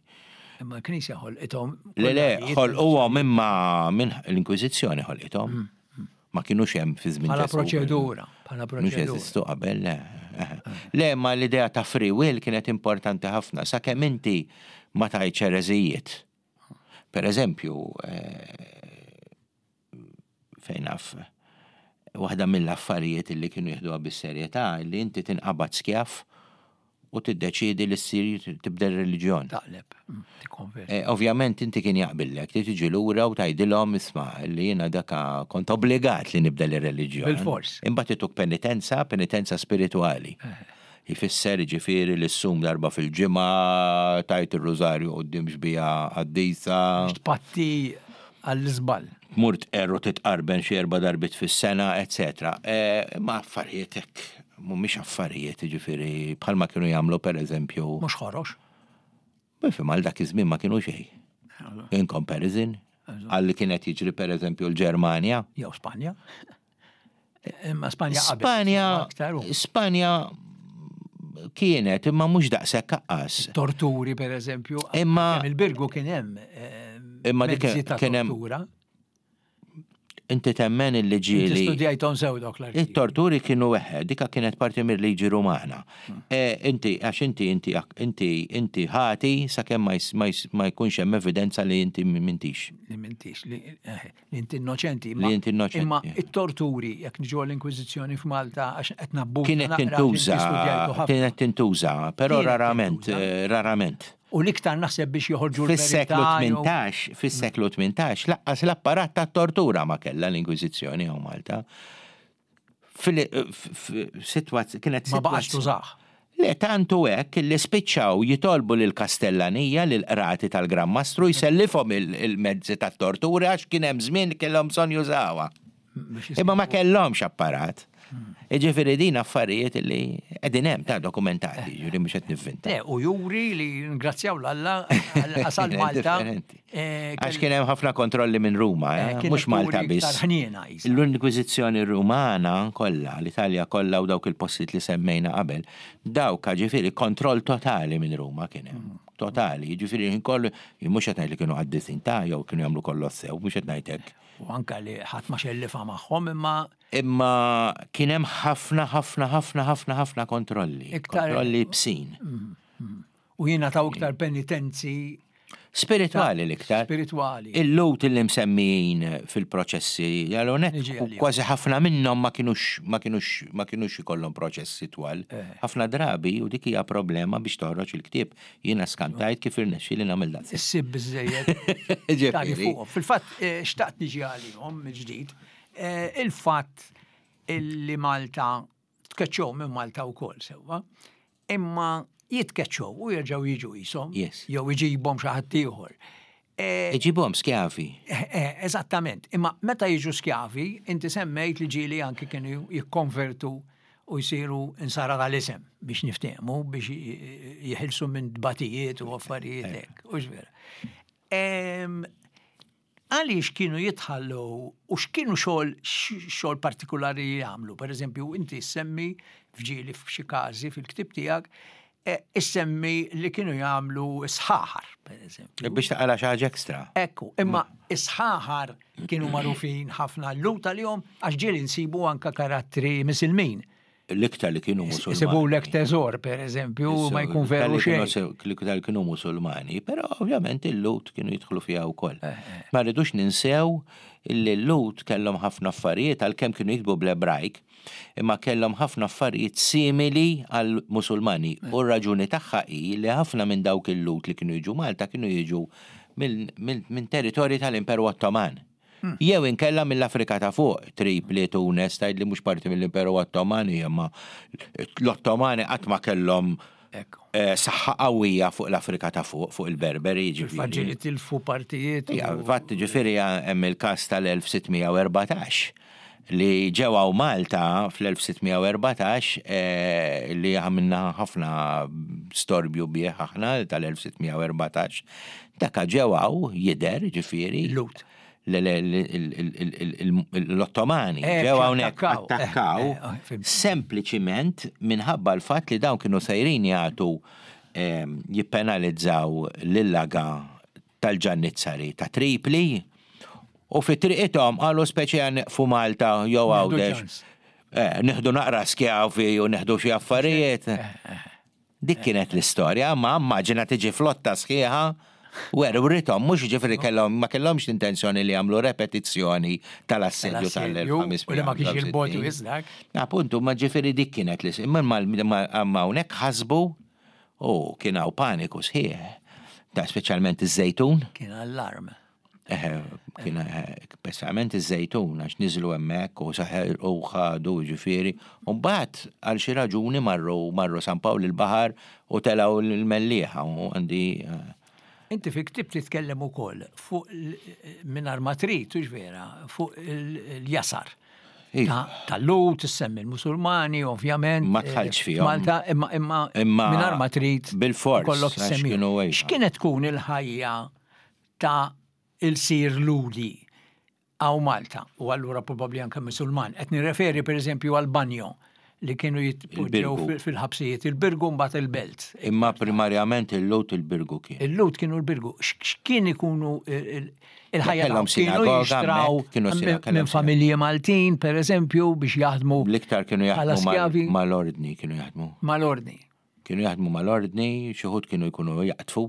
Imma l-Knisja ħolqithom. Le, le, ħolquhom imma minn l-Inkwiżizzjoni ħolqithom. Mm, mm. Ma kinux hemm fi żmien. Bħala proċedura, bħala proċedura. Mhux jeżistu qabel, le. Le, ma l-idea ta' free will kienet importanti ħafna, sakemm inti ma tajtx ereżijiet. Per eżempju, eh, fejn naf, waħda mill-affarijiet li kienu jieħduha bis-serjetà li inti tinqabad skjaf u tiddeċiedi li ssir tibdel reliġjon. Taqleb, mm, tikkonverti. Eh, ovvjament inti kien jaqbillek li tiġi lura u tgħidilhom isma' li jiena daka kont obbligat li nibdel ir-reliġjon. Bil-fors. Imbagħad ituk penitenza, penitenza spiritwali. Eh. Jfisser jiġifieri li ssum darba fil-ġimgħa, tgħid ir-rużarju quddiem xbieha qaddisa. Biex tpatti għall-iżball. Tmur tqerr u titqarben xi erba' darbiet fis-sena, eċċetera. Imma affarijiet hekk mhumiex affarijiet, jiġifieri bħalma kienu jagħmlu pereżempju. Mhux ħorox. Bifhem għal dak iż-żmien ma kienu xejn. In comparison għal li kien qed jiġri pereżempju l-Ġermanja. Jew Spanja. Imma Spanja qabel. Spanja, Spanja kienet imma mhux daqshekk aqqas. Torturi pereżempju. Imma il-Birgu kien hemm eh, imma dik kien hemm Inti temmen illi ġieli. Inti studjajthom sew dawk l-artikli. It-torturi kienu eħe, dika kienet parti mir-liġi Rumana. Hmm. E, inti, għax inti, inti, inti, inti ħati sakemm ma jkunx hemm evidenza li inti mintix. Li mintix, li eh, inti innoċenti. Li inti innoċenti. Imma it-torturi, jekk niġu l-Inkwiżizzjoni f'Malta, għax qed nabbu. Kienet tintuża, kienet tintuża, però rarament, eh, rarament. U l-iktar naħseb biex joħorġu l-verità. Fis-seklu 18, fis-seklu 18, laqqas l-apparat tat-tortura ma kellha l-Inkwiżizzjoni hawn Malta. Fil-sitwazzjoni kienet Ma baqax tużah. Le tantu hekk li spiċċaw jitolbu lill-Kastellanija, lill-qrati tal-Gran Mastru jsellifhom il-mezzi tat-tortura għax kien hemm żmien li kellhom bżonn jużawha. Imma ma kellhomx apparat. Jiġifieri din affarijiet li qegħdin hemm ta' dokumentati, jiġifieri mhux qed nivvinta. Le, u juri li ngrazzjaw l-Alla għasal Malta. Eh, Għax kien hemm ħafna kontrolli minn Ruma, eh, eh, mhux Malta biss. L-Inkwiżizzjoni Rumana kollha, l-Italja kollha u dawk il-postijiet li semmejna qabel, dawk ġifieri kontroll totali minn Ruma kien hemm. Mm. Totali, jiġifieri kollu, mhux qed ngħid li kienu qaddisin ta' jew kienu jagħmlu kollox sew, mhux qed ngħid hekk. U anka li ħadd ma xellifa magħhom imma. Imma kien hemm ħafna ħafna ħafna ħafna ħafna kontrolli. Kontrolli bsin. Mm, mm. U jingħataw iktar penitenzi. Spiritwali l-iktar. Spiritwali. Il-lut li msemmijin fil-proċessi, għalonet, kważi ħafna minnhom ma kienux ma kienux ma kienux ikollhom proċessi twal. Eh. Ħafna drabi u dik hija problema biex toħroġ il-ktieb. Jiena skantajt kif irnexxieli nagħmel daqshekk. Issib biżżejjed. Ġifieri. Fil-fatt eh, xtaqt niġi għalihom mill-ġdid. Eh, il-fatt illi Malta tkeċċew minn Malta wkoll sewwa, imma jitkeċċew u jerġgħu jiġu qishom jew iġibhom xi ħadd ieħor. Eh, iġibhom skjavi. Eżattament, imma meta jiġu skjavi, inti semmejt li ġieli anki kienu jikkonvertu u jsiru insara tal-isem biex niftehmu biex jeħilsu minn tbatijiet u affarijiet hekk. U vera. Għaliex kienu jitħallu u x'kienu xogħol xogħol partikulari jagħmlu? Per eżempju, inti semmi fġieli f'xi każi fil-ktieb tiegħek eh, issemmi li kienu jagħmlu sħaħar, per eżempju. Biex taqala xi ħaġa ekstra. Ekku, imma is-sħaħar kienu magħrufin ħafna l-lut għalihom għax ġieli nsibu anka karattri misilmin. L-iktar li kienu musulmani. Isibulek teżor, per eżempju, ma jkun veru xejn. L-iktar li kienu musulmani, però ovvjament il-Lut kienu jidħlu fiha wkoll. Eh, eh. Ma rridux ninsew li l-Lut kellhom ħafna affarijiet għalkemm kienu jiktbu bl-Ebrajk, imma kellhom ħafna affarijiet simili għal musulmani. Eh. U r-raġuni tagħha hi li ħafna minn dawk il-Lut li kienu jiġu Malta kienu jiġu minn territorji tal-Imperu Ottoman. Jew inkella mill-Afrika ta' Fuq, Tripli, Tunes, tgħid li mhux parti mill-Imperu Ottoman, imma l-Ottomani qatt ma kellhom eh, saħħa qawwija fuq l-Afrika ta' Fuq, fuq il-Berberi, ġifieri. Faġġi li tilfu partijiet. Ja, fatt ġifieri hemm il-każ tal-1614 li ġew hawn Malta fl-1614 eh, li għamilna ħafna storbju bih aħna tal-1614 Daka ġew hawn jidher, ġifieri. Lut. L-Ottomani eh, ġew hawnhekk eh, attakkaw eh, sempliċiment minħabba l-fatt li dawn kienu sejrin jagħtu ehm, jippenalizzaw lill-laga tal-ġannizzari ta' Tripli u fi triqithom qalu speċi nieqfu Malta jew Għawdex. Nieħdu naqra skjavi u nieħdu xi affarijiet. Dik kienet l-istorja, ma immaġina tiġi flotta sħiħa werwrithom, mhux ġifieri kellhom ma kellhomx l-intenzjoni li jagħmlu repetizzjoni tal-assedju tal-1500. U li ma kienx il-bogħod wisq dak. Appuntu, ma ġifieri dik kienet l imma imma hawnhekk ħasbu u kien hawn paniku sħiħ. Ta' speċjalment iż-żejtun. Kien allarm. Eħe, kien speċjalment iż-żejtun għax niżlu hemmhekk u saħer u ħadu ġifieri. U mbagħad għal xi raġuni marru marru San Pawl il-Baħar u telgħu l-Mellieħa u għandi eh, Inti fi ktib titkellem ukoll fuq mingħajr ma trid, hux vera, fuq il-jasar. Iva. Tal-Lut, issemmi l-Musulmani, ovvjament. Ma tħallx fihom. Malta, imma imma mingħajr ma trid. Bil-fors. Kollok issemmi. X'kienet tkun il-ħajja ta' ilsir Lhudi hawn Malta u allura probabbli anke Musulman. Qed nirreferi pereżempju għal banjo li kienu jitpoġġew fil-ħabsijiet, il-Birgu mbagħad il-Belt. Imma primarjament il-Lhud il-Birgu kien. Il-Lhud kienu l-Birgu. X'kien ikunu il-ħajja Kellhom sinagoga kienu minn familji Maltin, pereżempju, biex jaħdmu. L-iktar kienu jaħdmu mal-ordni kienu jaħdmu. Mal-ordni. Kienu jaħdmu mal-ordni, xi wħud kienu jkunu jaqtfu.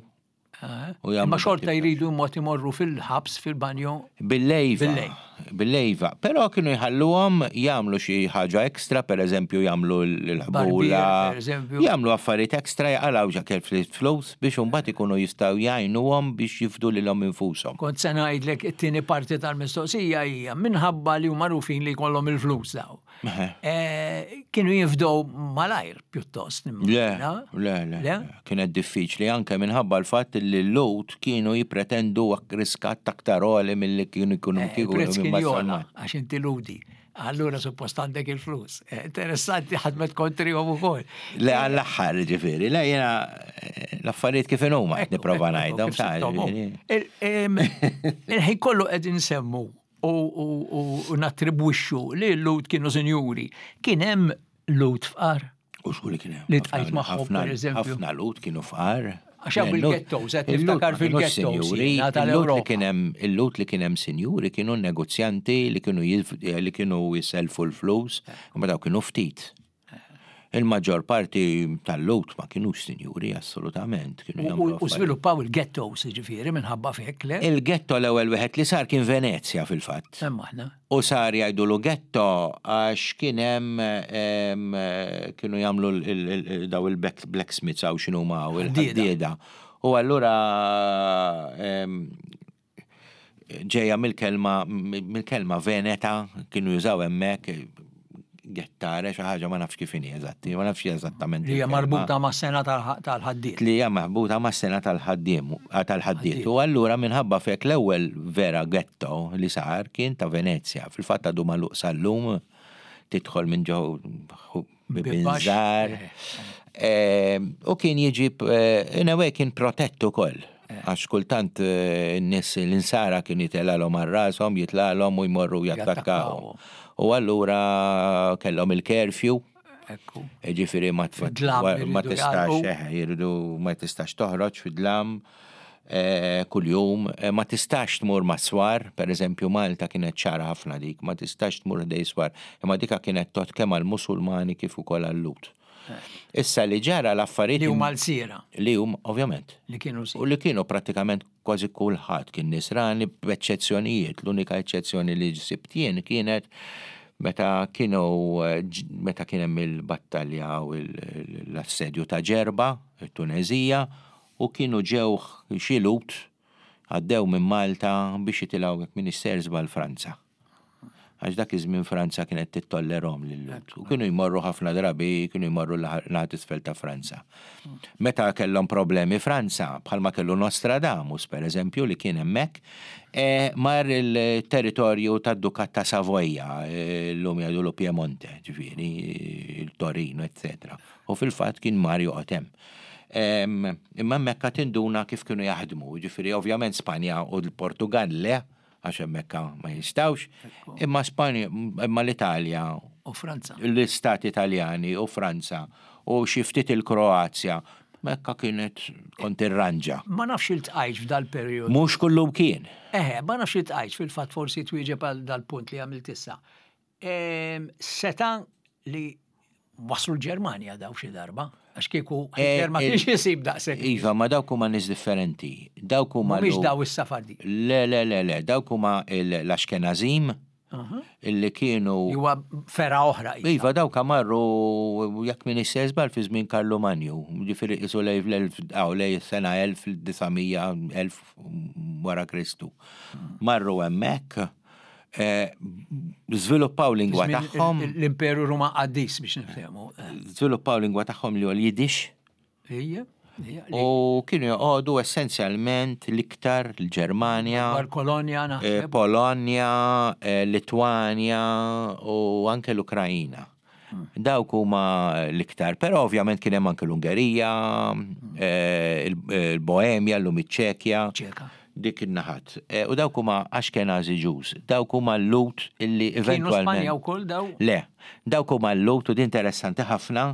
Eh, imma xorta jridu mod imorru fil-ħabs, fil-banjo. Bil-lejva. Bil-lejva. Però kienu jħalluhom jagħmlu xi ħaġa ekstra, per eżempju jagħmlu l-ħbula. Jagħmlu affarijiet ekstra jaqalgħu ġakel flus biex imbagħad ikunu jistgħu jgħinuhom biex jifdu lilhom infushom. Kont se ngħidlek it-tieni parti tal-mistoqsija hija minħabba li huma magħrufin li jkollhom il-flus daw. Eh, kienu jifdow malajr pjuttost. Le, le, le. Kienet diffiċli anke minħabba l-fatt li l-lut kienu jipretendu riskat aktar għoli mill-li kienu jkunu eh, kieku. Prezz kien jola, għax inti ludi. Allura suppost għandek il-flus. Eh, interessanti ħadmet kontrihom ukoll. Le għall-aħħar ġifieri, le jiena l-affarijiet kif inhuma qed nipprova ngħidhom. Il-ħin kollu qegħdin nsemmu u nattribwixxu li l-Lhud kienu sinjuri. Kien hemm Lhud fqar? U xku li kien hemm. Li tqajt magħhom pereżempju. Ħafna Lhud kienu fqar. Għax hawn il-ghettos, qed niftakar fil-ghettos. Il-Lhud li kien hemm il-Lhud li kien hemm sinjuri kienu negozjanti li kienu li kienu jiselfu l-flus, imma dawk kienu ftit. Il-maġġor parti tal-Lhud ma kinux sinjuri assolutament. U żviluppaw il-ghettos, ġifieri, minħabba f'hekk, le? Il-ghetto l-ewwel wieħed li sar kien Venezja fil-fatt. Hemm aħna. U sar jgħidulu ghetto għax kien hemm kienu jagħmlu daw il-blacksmiths hawn x'inhuma hawn il-ħaddieda. U allura ġejja mill-kelma mill-kelma Veneta kienu jużaw hemmhekk gettare xi ħaġa ma nafx kif inhi eżatti, ma nafx eżattament. Li hija marbuta mas-sena tal-ħaddied. Li hija marbuta mas-sena tal-ħaddiem tal-ħaddied. U allura minħabba f'hekk l-ewwel vera ghetto li sar kien ta' Venezja. Fil-fatt għadu magħluq sal-lum tidħol minn ġo Bibinżar. Ehm, u kien jiġi, eh, in a way kien protett ukoll. Eh. Għax kultant eh, n-nies l-insara kien jitelalhom għal rashom, jitlalhom u jmorru jattakkaw. U allura kellhom il-curfew. Ġifieri ma tistax, jiridu ma tistax toħroġ fid-dlam. kuljum, ma tistax tmur mas-swar, pereżempju Malta kienet ċara ħafna dik, ma tistax tmur ħdej swar, imma dika kienet tgħodd kemm għall-Musulmani kif ukoll għal-Lhud. Issa li ġara l-affarijiet. Li huma lsiera. Li huma, ovvjament. Li kienu lsiera. U li kienu prattikament kważi kulħadd kien Nisrani b'eċċezzjonijiet. L-unika eċċezzjoni li sibt jien kienet meta kienu meta kien hemm il-battalja u l-assedju ta' Ġerba, it-Tuneżija, u kienu ġew xi Lhud għaddew minn Malta biex jitilgħu jekk m'iniex sejjer żball Franza. Għax dak iż-żmien Franza kienet tittollerhom lil-Lhud. U kienu jmorru ħafna drabi, kienu jmorru l-naħa t'isfel ta' Franza. Meta kellhom problemi Franza, bħalma kellu Nostradamus, per eżempju, li kien hemmhekk, e, mar il-territorju tad-Dukat ta' Savoja, llum jgħidulu Piemonte, ġifieri, il-Torino, eccetera. U fil-fatt kien mar joqgħod hemm. Imma hemmhekk għad tinduna kif kienu jaħdmu, jiġifieri ovvjament Spanja u l-Portugal le, għax hemmhekk ma jistgħux, imma Spanja, imma l-Italja u Franza. L-istati Taljani u Franza u xi ftit il-Kroazja, Mekka kienet kont irranġa. Ma nafx iltqajtx f'dal-perjodu. Mhux kullum kien. Eħe, ma nafx iltqajtx fil-fatt forsi twieġeb għal dal-punt li għamilt issa. Seta' li waslu l-Ġermanja daw xi darba, għax kieku eh, Hitler ma kienx isib daqshekk. Iva, ma dawk huma nies differenti. Dawk huma. Mhumiex daw is-Safardi. Le, le, le, le, dawk huma l-Ashkenazim illi kienu. Huwa fera oħra. Iva, dawk marru jekk min żball fi żmien Karlu Manju, ġifieri qisu lej lej sena 1900 1000 wara Kristu. Marru hemmhekk Żviluppaw lingwa tagħhom. L-Imperu Ruma qaddis biex niftehmu. Żviluppaw lingwa tagħhom li huwa l-Yiddish. Ejja. U kienu joqogħdu essenzjalment l-iktar l-Ġermanja. Kolonja naħseb. Polonja, Litwanja u anke l-Ukrajina. Dawk huma l-iktar, però ovvjament kien hemm anke l-Ungerija, il-Boemja, llum iċ-Ċekja. Dik in-naħat. U dawk huma Ashkenazi Jews. Dawk huma l-Lhud illi eventwalment. Kienu Spanja wkoll daw? Le. Dawk huma l-Lhud u din interessanti ħafna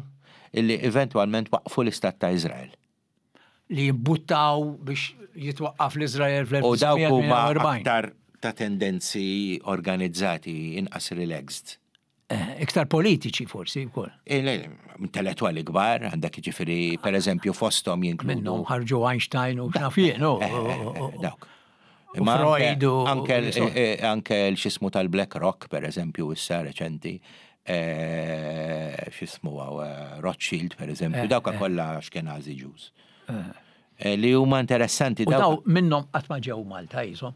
illi eventwalment waqqfu l-Istat ta' Iżrael. Li jimbuttaw biex jitwaqqaf l-Iżrael fl-1948. U dawk huma aktar ta' tendenzi organizzati, inqas relaxed. Eh, iktar politiċi forsi wkoll. Eh, intellettwali kbar, għandek ġifieri pereżempju fosthom jinkludu. Minnhom ħarġu Einstein u x'naf jien. Eh, dawk. Imma Freud u anke l-xismu tal-Black Rock, per eżempju, issa reċenti, xismu Rothschild, per eżempju, dawka kollha Ashkenazi Jews. Li huma interessanti. Daw minnhom qatt ma ġew Malta jisom.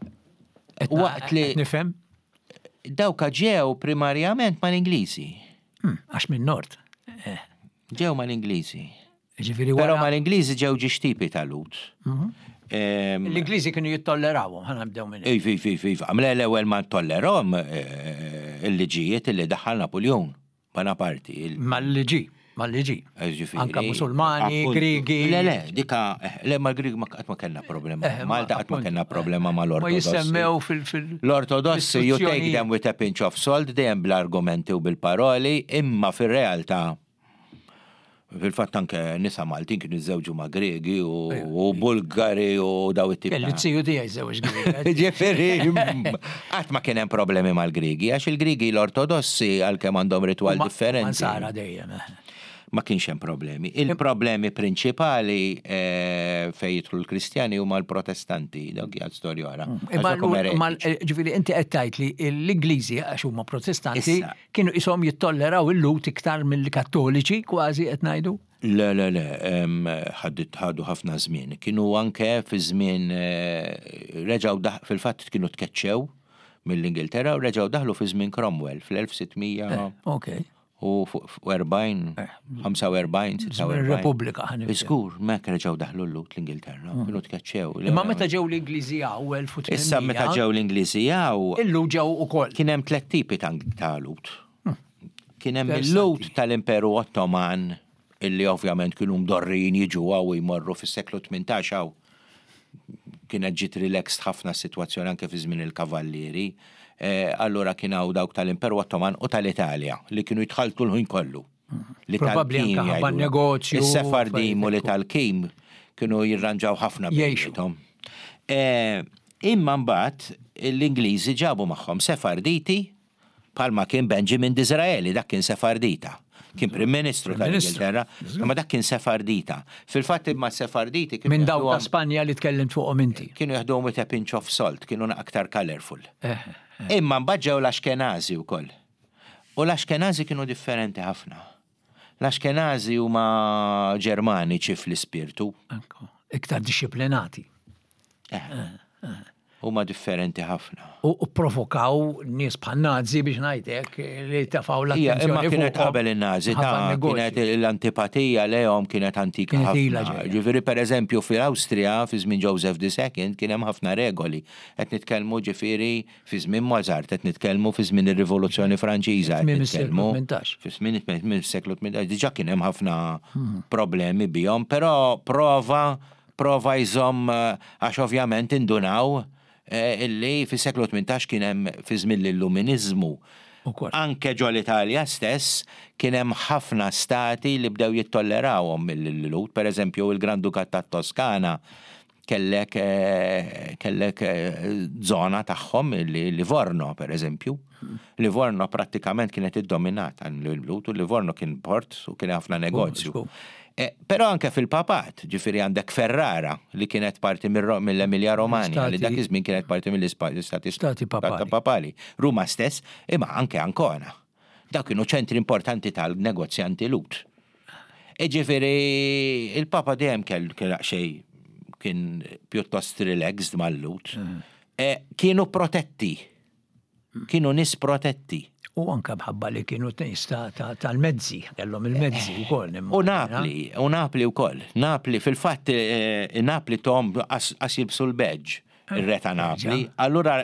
Waqt li. Nifhem? Dawka ġew primarjament mal-Ingliżi. Hmm, għax minn nord. Eh. Ġew mal-Ingliżi. Ġifieri Però mal-Ingliżi ġew ġiex tipi ta' Lut. Mhm. L-Ingliżi kienu jittollerawhom, ħana nibdew minn. Iva, iva, iva, iva. Għamle l-ewwel ma tollerhom eh, il-liġijiet li daħħal Napoleon. Bonaparti. Mal-liġi, mal-liġi. Anka Musulmani, Grigi. Le, le, dika, eh, le, mal-Grigi ma qatt ma kellna problema. Eh, Malta qatt ma kellna problema mal-Ortodossi. Ma jissemmew fil- L-Ortodossi, you take them with a pinch of salt, dejjem bl-argumenti u bil-paroli, imma fil-realtà Fil-fatt anke nisa Maltin kienu jiżżewġu ma' Griegi u Bulgari u daw it-tip. Kelli t-siju tiegħi żewġ Griegi. Ġifieri, qatt ma kien hemm problemi mal-Griegi għax il-Griegi l-Ortodossi għalkemm għandhom ritwal differenti. Sara dejjem. Eh. Ma kienx hemm problemi. Il-problemi prinċipali eh, fejn jidħlu l-Kristjani huma l-Protestanti, dawk hija storja oħra. Mm. Imma eh, ġifieri inti qed tgħid li l-Ingliżi għax huma Protestanti Kienu qishom jittolleraw il-Lhud iktar mill-Kattoliċi kważi qed ngħidu? Le, le, le, ħadu ħafna żmien. Kienu anke fi żmien eh, reġgħu fil-fatt kienu tkeċċew mill-Ingilterra u reġgħu daħlu fi żmien Cromwell fl-1600. Eh, okay. U 40, 45, 46. Repubblika ħan. Żgur, mek reġgħu daħlu l-Lut l-Ingilterra, mm. kienu tkeċċew. Imma meta ġew l-Ingliżi hawn 1800. Issa meta ġew l-Ingliżi hawn. Illu ġew ukoll. Kien hemm tliet tipi ta' Lut. Hmm. Kien hemm il-Lut tal-Imperu Ottoman illi ovvjament kienu mdorrijin jiġu hawn u jmorru fis-seklu 18 hawn. Kienet ġiet relaxed ħafna s-sitwazzjoni anke fi żmien il-Kavallieri. Eh, allura kien hawn dawk tal-Imperu Ottoman u tal-Italja li kienu jitħaltu l-ħin kollu. Li Probabbli anke ħabba negozju. Is-Sefardim u li tal-Kim kienu jirranġaw ħafna bejniethom. Eh, imma mbagħad l-Ingliżi ġabu magħhom Sefarditi bħalma kien Benjamin Disraeli, dak kien Sefardita. Kien Prim Ministru tal-Ingilterra, imma dak kien Sefardita. Fil-fatt imma Sefarditi kienu. Minn dawk ta' Spanja li tkellimt fuqhom inti. Kienu jaħduhom with a pinch of salt, kienu aktar colorful. Eh, eh. Imma mbagħad ġew l-Ashkenazi wkoll. U l-Ashkenazi kienu differenti ħafna. L-Ashkenazi huma Ġermaniċi fl-ispirtu. Iktar dixxiplinati. Eh. Eh, eh. Huma differenti ħafna. U provokaw nies bħal Nazi biex ngħidlek li tafaw l-attenzjoni. Imma kienet qabel in-Nazi ta' kienet l-antipatija lejhom kienet antika ħafna. Ġifieri pereżempju fil-Awstrija fi żmien Joseph II kien hemm ħafna regoli. Qed nitkellmu ġifieri Fi żmien Mozart, qed nitkellmu fi żmien ir-Rivoluzzjoni Franċiża, qed nitkellmu fi żmien tmiem is-seklu 18, diġà kien hemm ħafna hmm. problemi bihom, però prova prova jżomm għax ovvjament indunaw eh, illi fis-seklu 18 kien hemm fi żmien l-Illuminiżmu. Anke ġo l-Italja stess kien hemm ħafna stati li bdew jittollerawhom mill-Lhud, pereżempju il-Grandukat tat-Toskana Kellek kellek żona tagħhom li Livorno pereżempju. Livorno prattikament kienet iddominata l-Lhud u Livorno kien port u kien ħafna negozju. Eh, però anke fil-papat, ġifieri għandek Ferrara li kienet parti mill-Emilia Romagna, li dak iż-żmien kienet parti mill-Istati Stati Papali. Papali. Ruma stess, imma anke Ancona. Dawk kienu ċentri importanti tal-negozjanti Lhud. Iġifieri il-Papa dejjem kell xejn kien pjuttost relaxed mal-Lhud. Mm. E, kienu protetti. Kienu nis protetti. U anka bħabba li kienu nies tal-mezzi, kellhom il-mezzi eh, wkoll. U Napli, u Napli wkoll. Napli, fil-fatt eh, Napli tom qas jilbsu l-badge, ir-re ta' Napli. Allura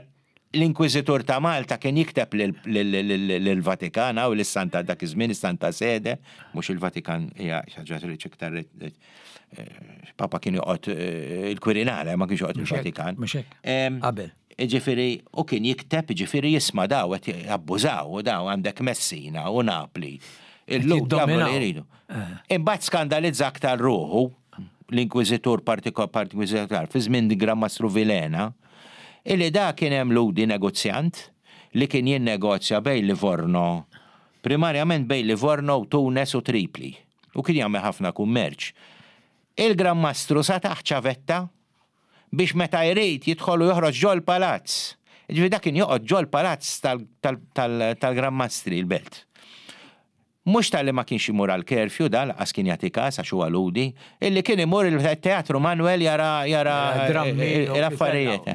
L-Inkwiżitur ta' Malta kien jikteb lill-Vatikan u lis-Santa dak iż-żmien is-Santa Sede, mhux il-Vatikan hija xi ħaġa li iktar eh, Papa kien joqgħod eh, il-Quirinale, ma kienx joqgħod il-Vatikan. Mhux hekk. Qabel. Ġifieri, u kien jikteb, ġifieri jisma' daw qed jabbużaw u daw għandek Messina u Napli. Illum jagħmlu li jridu. Eh. Imbagħad skandalizza aktar ruħu l-Inkwiżitur partikolar fi żmien Gran Mastru Vilena Illi da kien hemm Lhudi negozjant li kien jinnegozja bejn Livorno, primarjament bejn Livorno u Tunes u Tripli, u kien jagħmel ħafna kummerċ. Il-Gran Mastru sa tah ċavetta biex meta jrid jidħol u joħroġ ġol-palazz. Jiġifieri da kien joqgħod ġol-palazz tal-Gran Mastri, il-belt. Mhux talli ma kienx imur għall-curfew da lanqas kien jagħti kas għax huwa Lhudi, illi kien imur il-Teatru Manuel jara jara l-affarijiet.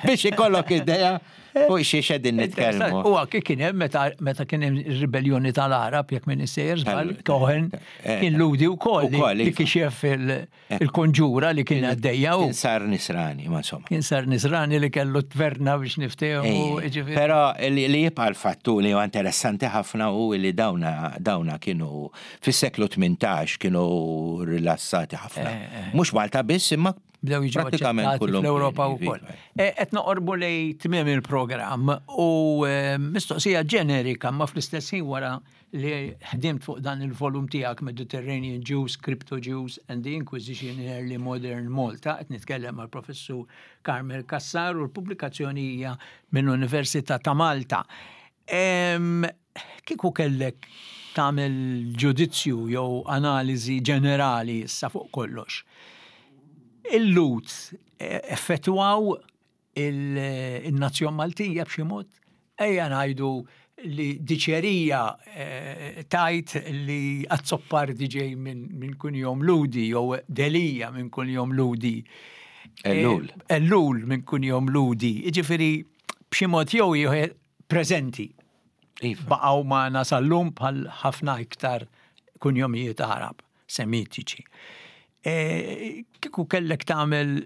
Biex ikollok idea fuq xiex qegħdin nitkellmu. U anke kien hemm meta meta kien hemm ir-ribelljoni tal-Għarab jekk minn sejjer żball Cohen kien Lhudi wkoll li iva. kixef il-konġura li kien għaddejja u. Kien sar nisrani, ma insomma. Kien sar nisrani li kellu tverna biex niftehmu. Però li jibqa' l-fattu li huwa interessanti ħafna hu li dawna dawna kienu fis-seklu 18 kienu rilassati ħafna. Eh, eh. Mhux Malta biss imma bdew jiġu prattikament fl-Ewropa wkoll. Eh, qed noqorbu lej tmiem il-programm u mistoqsija ġenerika ma fl-istess ħin wara li ħdimt fuq dan il-volum tiegħek Mediterranean Jews, Crypto Jews and the Inquisition in Early Modern Malta, qed nitkellem mal professur Carmel Cassar u l-pubblikazzjoni hija mill-Università ta' Malta. Kieku kellek tagħmel ġudizzju jew analiżi ġenerali issa fuq kollox. Il-Lhud eh, effettwaw il-nazzjon Maltija b'xi mod? Ejja ngħidu li diċerija eh, tajt li Azzopardi ġej minn kunjom Ludi jew Delija minn kunjom Ludi. Eh, Ellul. Ellul minn kunjom Ludi. Jiġifieri b'xi mod jew ieħor preżenti. Iva. Baqgħu magħna sal-lum bħal ħafna iktar kunjomijiet Arab. Semitiċi. E, kieku kellek tagħmel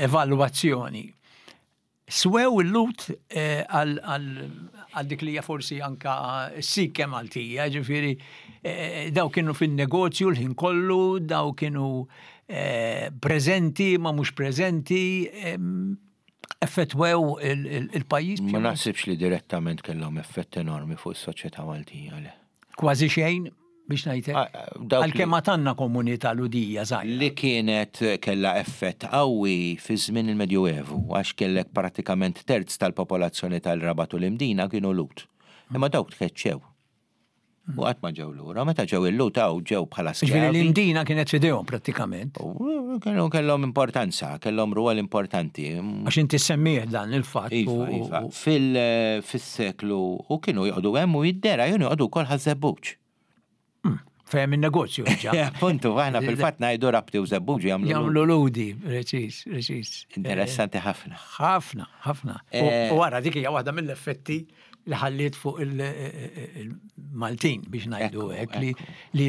evalwazzjoni, swew il-lut e, għal dik li hija forsi anka s-sike Maltija, ġifieri e, daw kienu fin-negozju l-ħin kollu, daw kienu preżenti ma mhux preżenti, effettwew il-pajjiż. Ma naħsibx li direttament kellhom effett enormi fuq is-soċjetà Maltija le. Kważi xejn. Biex ngħidlek. Għalkemm għad għandna komunità Lhudija żgħira. Li kienet kellha effett qawwi fi żmien il-Medjuevu, għax kellek prattikament terz tal-popolazzjoni tal-Rabat u l-Imdina kienu Lhud. Imma dawk tkeċċew. U qatt ma ġew lura. Meta ġew il-Lhud hawn ġew bħala skjavi. Ġifieri l-Imdina kienet f'idejhom prattikament. Kienu kellhom importanza, kellhom rwol importanti. Għax inti semmih dan il-fatt. Iva, iva. Fil-seklu u kienu joqogħdu hemm u jiddera kienu joqogħdu wkoll Ħaż-Żebbuġ. Fehem in-negozju ġa. Appuntu, aħna fil-fatt ngħidu Rabti u Żebbuġ jagħmlu. Jagħmlu ludi, preċiż, preċiż. Interessanti ħafna. Ħafna, ħafna. U wara dik hija waħda mill-effetti li ħalliet fuq il-Maltin biex ngħidu hekk li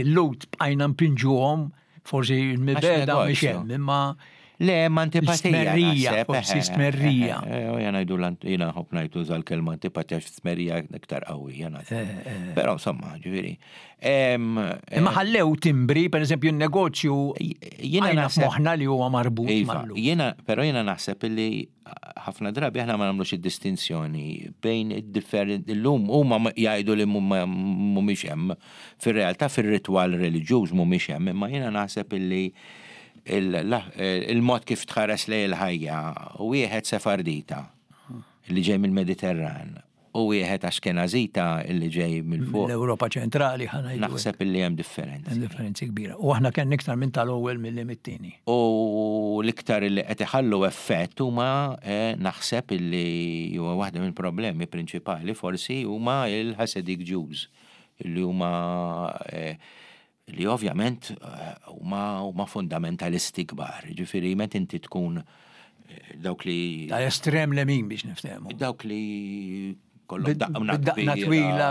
l-Lhud bqajna mpinġuhom forsi l-mibeda mhix hemm imma Le, ma antipatija. Smerrija, forsi smerrija. Jena jdu jena nħobb ngħid uża l-kelma antipatija għax smerrija iktar qawwi. Però insomma, ġifieri. Imma ħallew timbri, per eżempju, n-negozju jiena naħseb moħħna li huwa marbut iva, Jiena, però jiena naħseb li ħafna drabi aħna ma nagħmlux id-distinzjoni bejn id-differenti illum huma jgħidu li mhumiex hemm fir-realtà fir-ritwal reliġjuż mhumiex hemm, imma jiena naħseb illi il-mod kif tħares lejn il-ħajja wieħed Sefardita li ġej mill-Mediterran u wieħed Ashkenazita illi ġej mill-fuq. L-Ewropa ċentrali ħa ngħidu. Naħseb illi hemm differenzi. Hemm differenzi kbira. U aħna kellna iktar minn tal-ewwel milli mit-tieni. U l-iktar illi qed iħallu effett huma eh, naħseb illi huwa waħda mill-problemi prinċipali forsi huma il-Hasidic Jews illi huma eh, li ovvjament huma huma fundamentalisti kbar. Ġifieri meta inti tkun eh, dawk li. Tal-estrem lemin biex niftehmu. Dawk li kollhom daqna twila,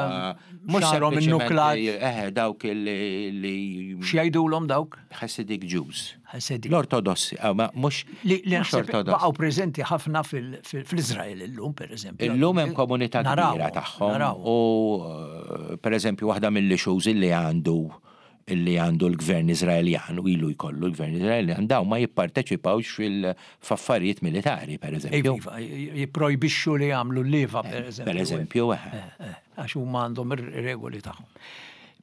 mhux xarhom in-nuklat. Eh, dawk li. X'jgħidulhom dawk? Hasidic Jews. Hasidic. L-Ortodossi, ah, ma mhux li baqgħu preżenti ħafna fl-Iżrael illum, pereżempju. Illum hemm komunità kbira tagħhom. U eh, pereżempju waħda mill-issues illi għandu illi għandu l-gvern Iżraeljan u ilu jkollu l-gvern Iżraeljan daw ma jipparteċipawx fil-affarijiet militari, per eżempju. Iva, jipprojbixxu li jagħmlu l-liva, per eh, eżempju. Per eżempju, eh. Għax huma għandhom ir-regoli tagħhom.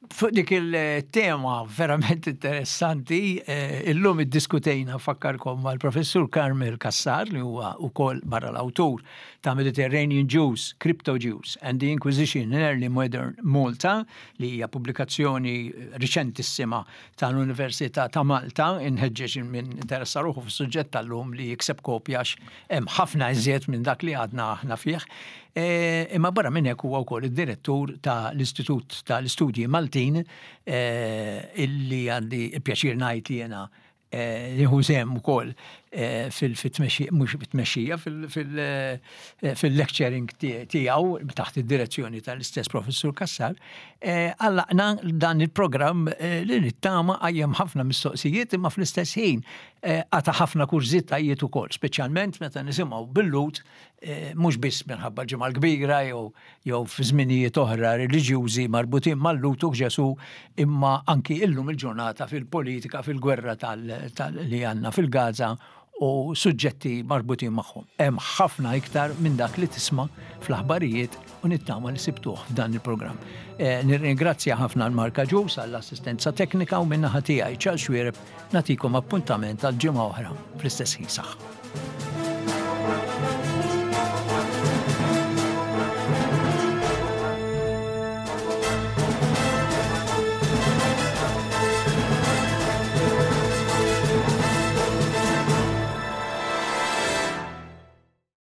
Fuq dik il-tema verament interessanti, eh, illum iddiskutejna fakkarkom mal-professur Carmel Cassar li huwa wkoll barra l-awtur ta' Mediterranean Jews, Crypto Jews and the Inquisition in Early Modern Malta li hija pubblikazzjoni riċentissima tal-Università ta' Malta, inħeġġeġ min interessa ruħu fis-suġġett tal-lum li jikseb kopja għax hemm ħafna iżjed minn dak li għadna aħna fih. E, imma barra minn hekk huwa wkoll id-direttur ta' l-Istitut tal-Istudji Maltin e, illi għandi il-pjaċir ngħid li jiena e, nieħu sehem ukoll fil-tmexxija, mhux fit-tmexxija, fil-lecturing tiegħu taħt id-direzzjoni tal-istess Professur Cassar, għallaqna dan il-programm li nittama qajjem ħafna mistoqsijiet imma fl-istess ħin qata' ħafna kurżitajiet ukoll, speċjalment meta nisimgħu bil-Lhud mhux biss minħabba l-Ġimgħa l-Kbira jew jew fi żminijiet oħra reliġjużi marbutin mal-Lhud u Ġesù imma anki illum il-ġurnata fil-politika, fil-gwerra tal, tal li għandna fil-Gaza u suġġetti marbutin magħhom. Hemm ħafna iktar minn dak li tisma' fl-aħbarijiet u nittama li sibtuh f'dan il-programm. Eh, nirringrazzja ħafna l-Marka Ġus għall-assistenza teknika u minnaħa tiegħi Charles Xuereb nagħtikom appuntament għal ġimgħa oħra fl-istess ħin saħħa.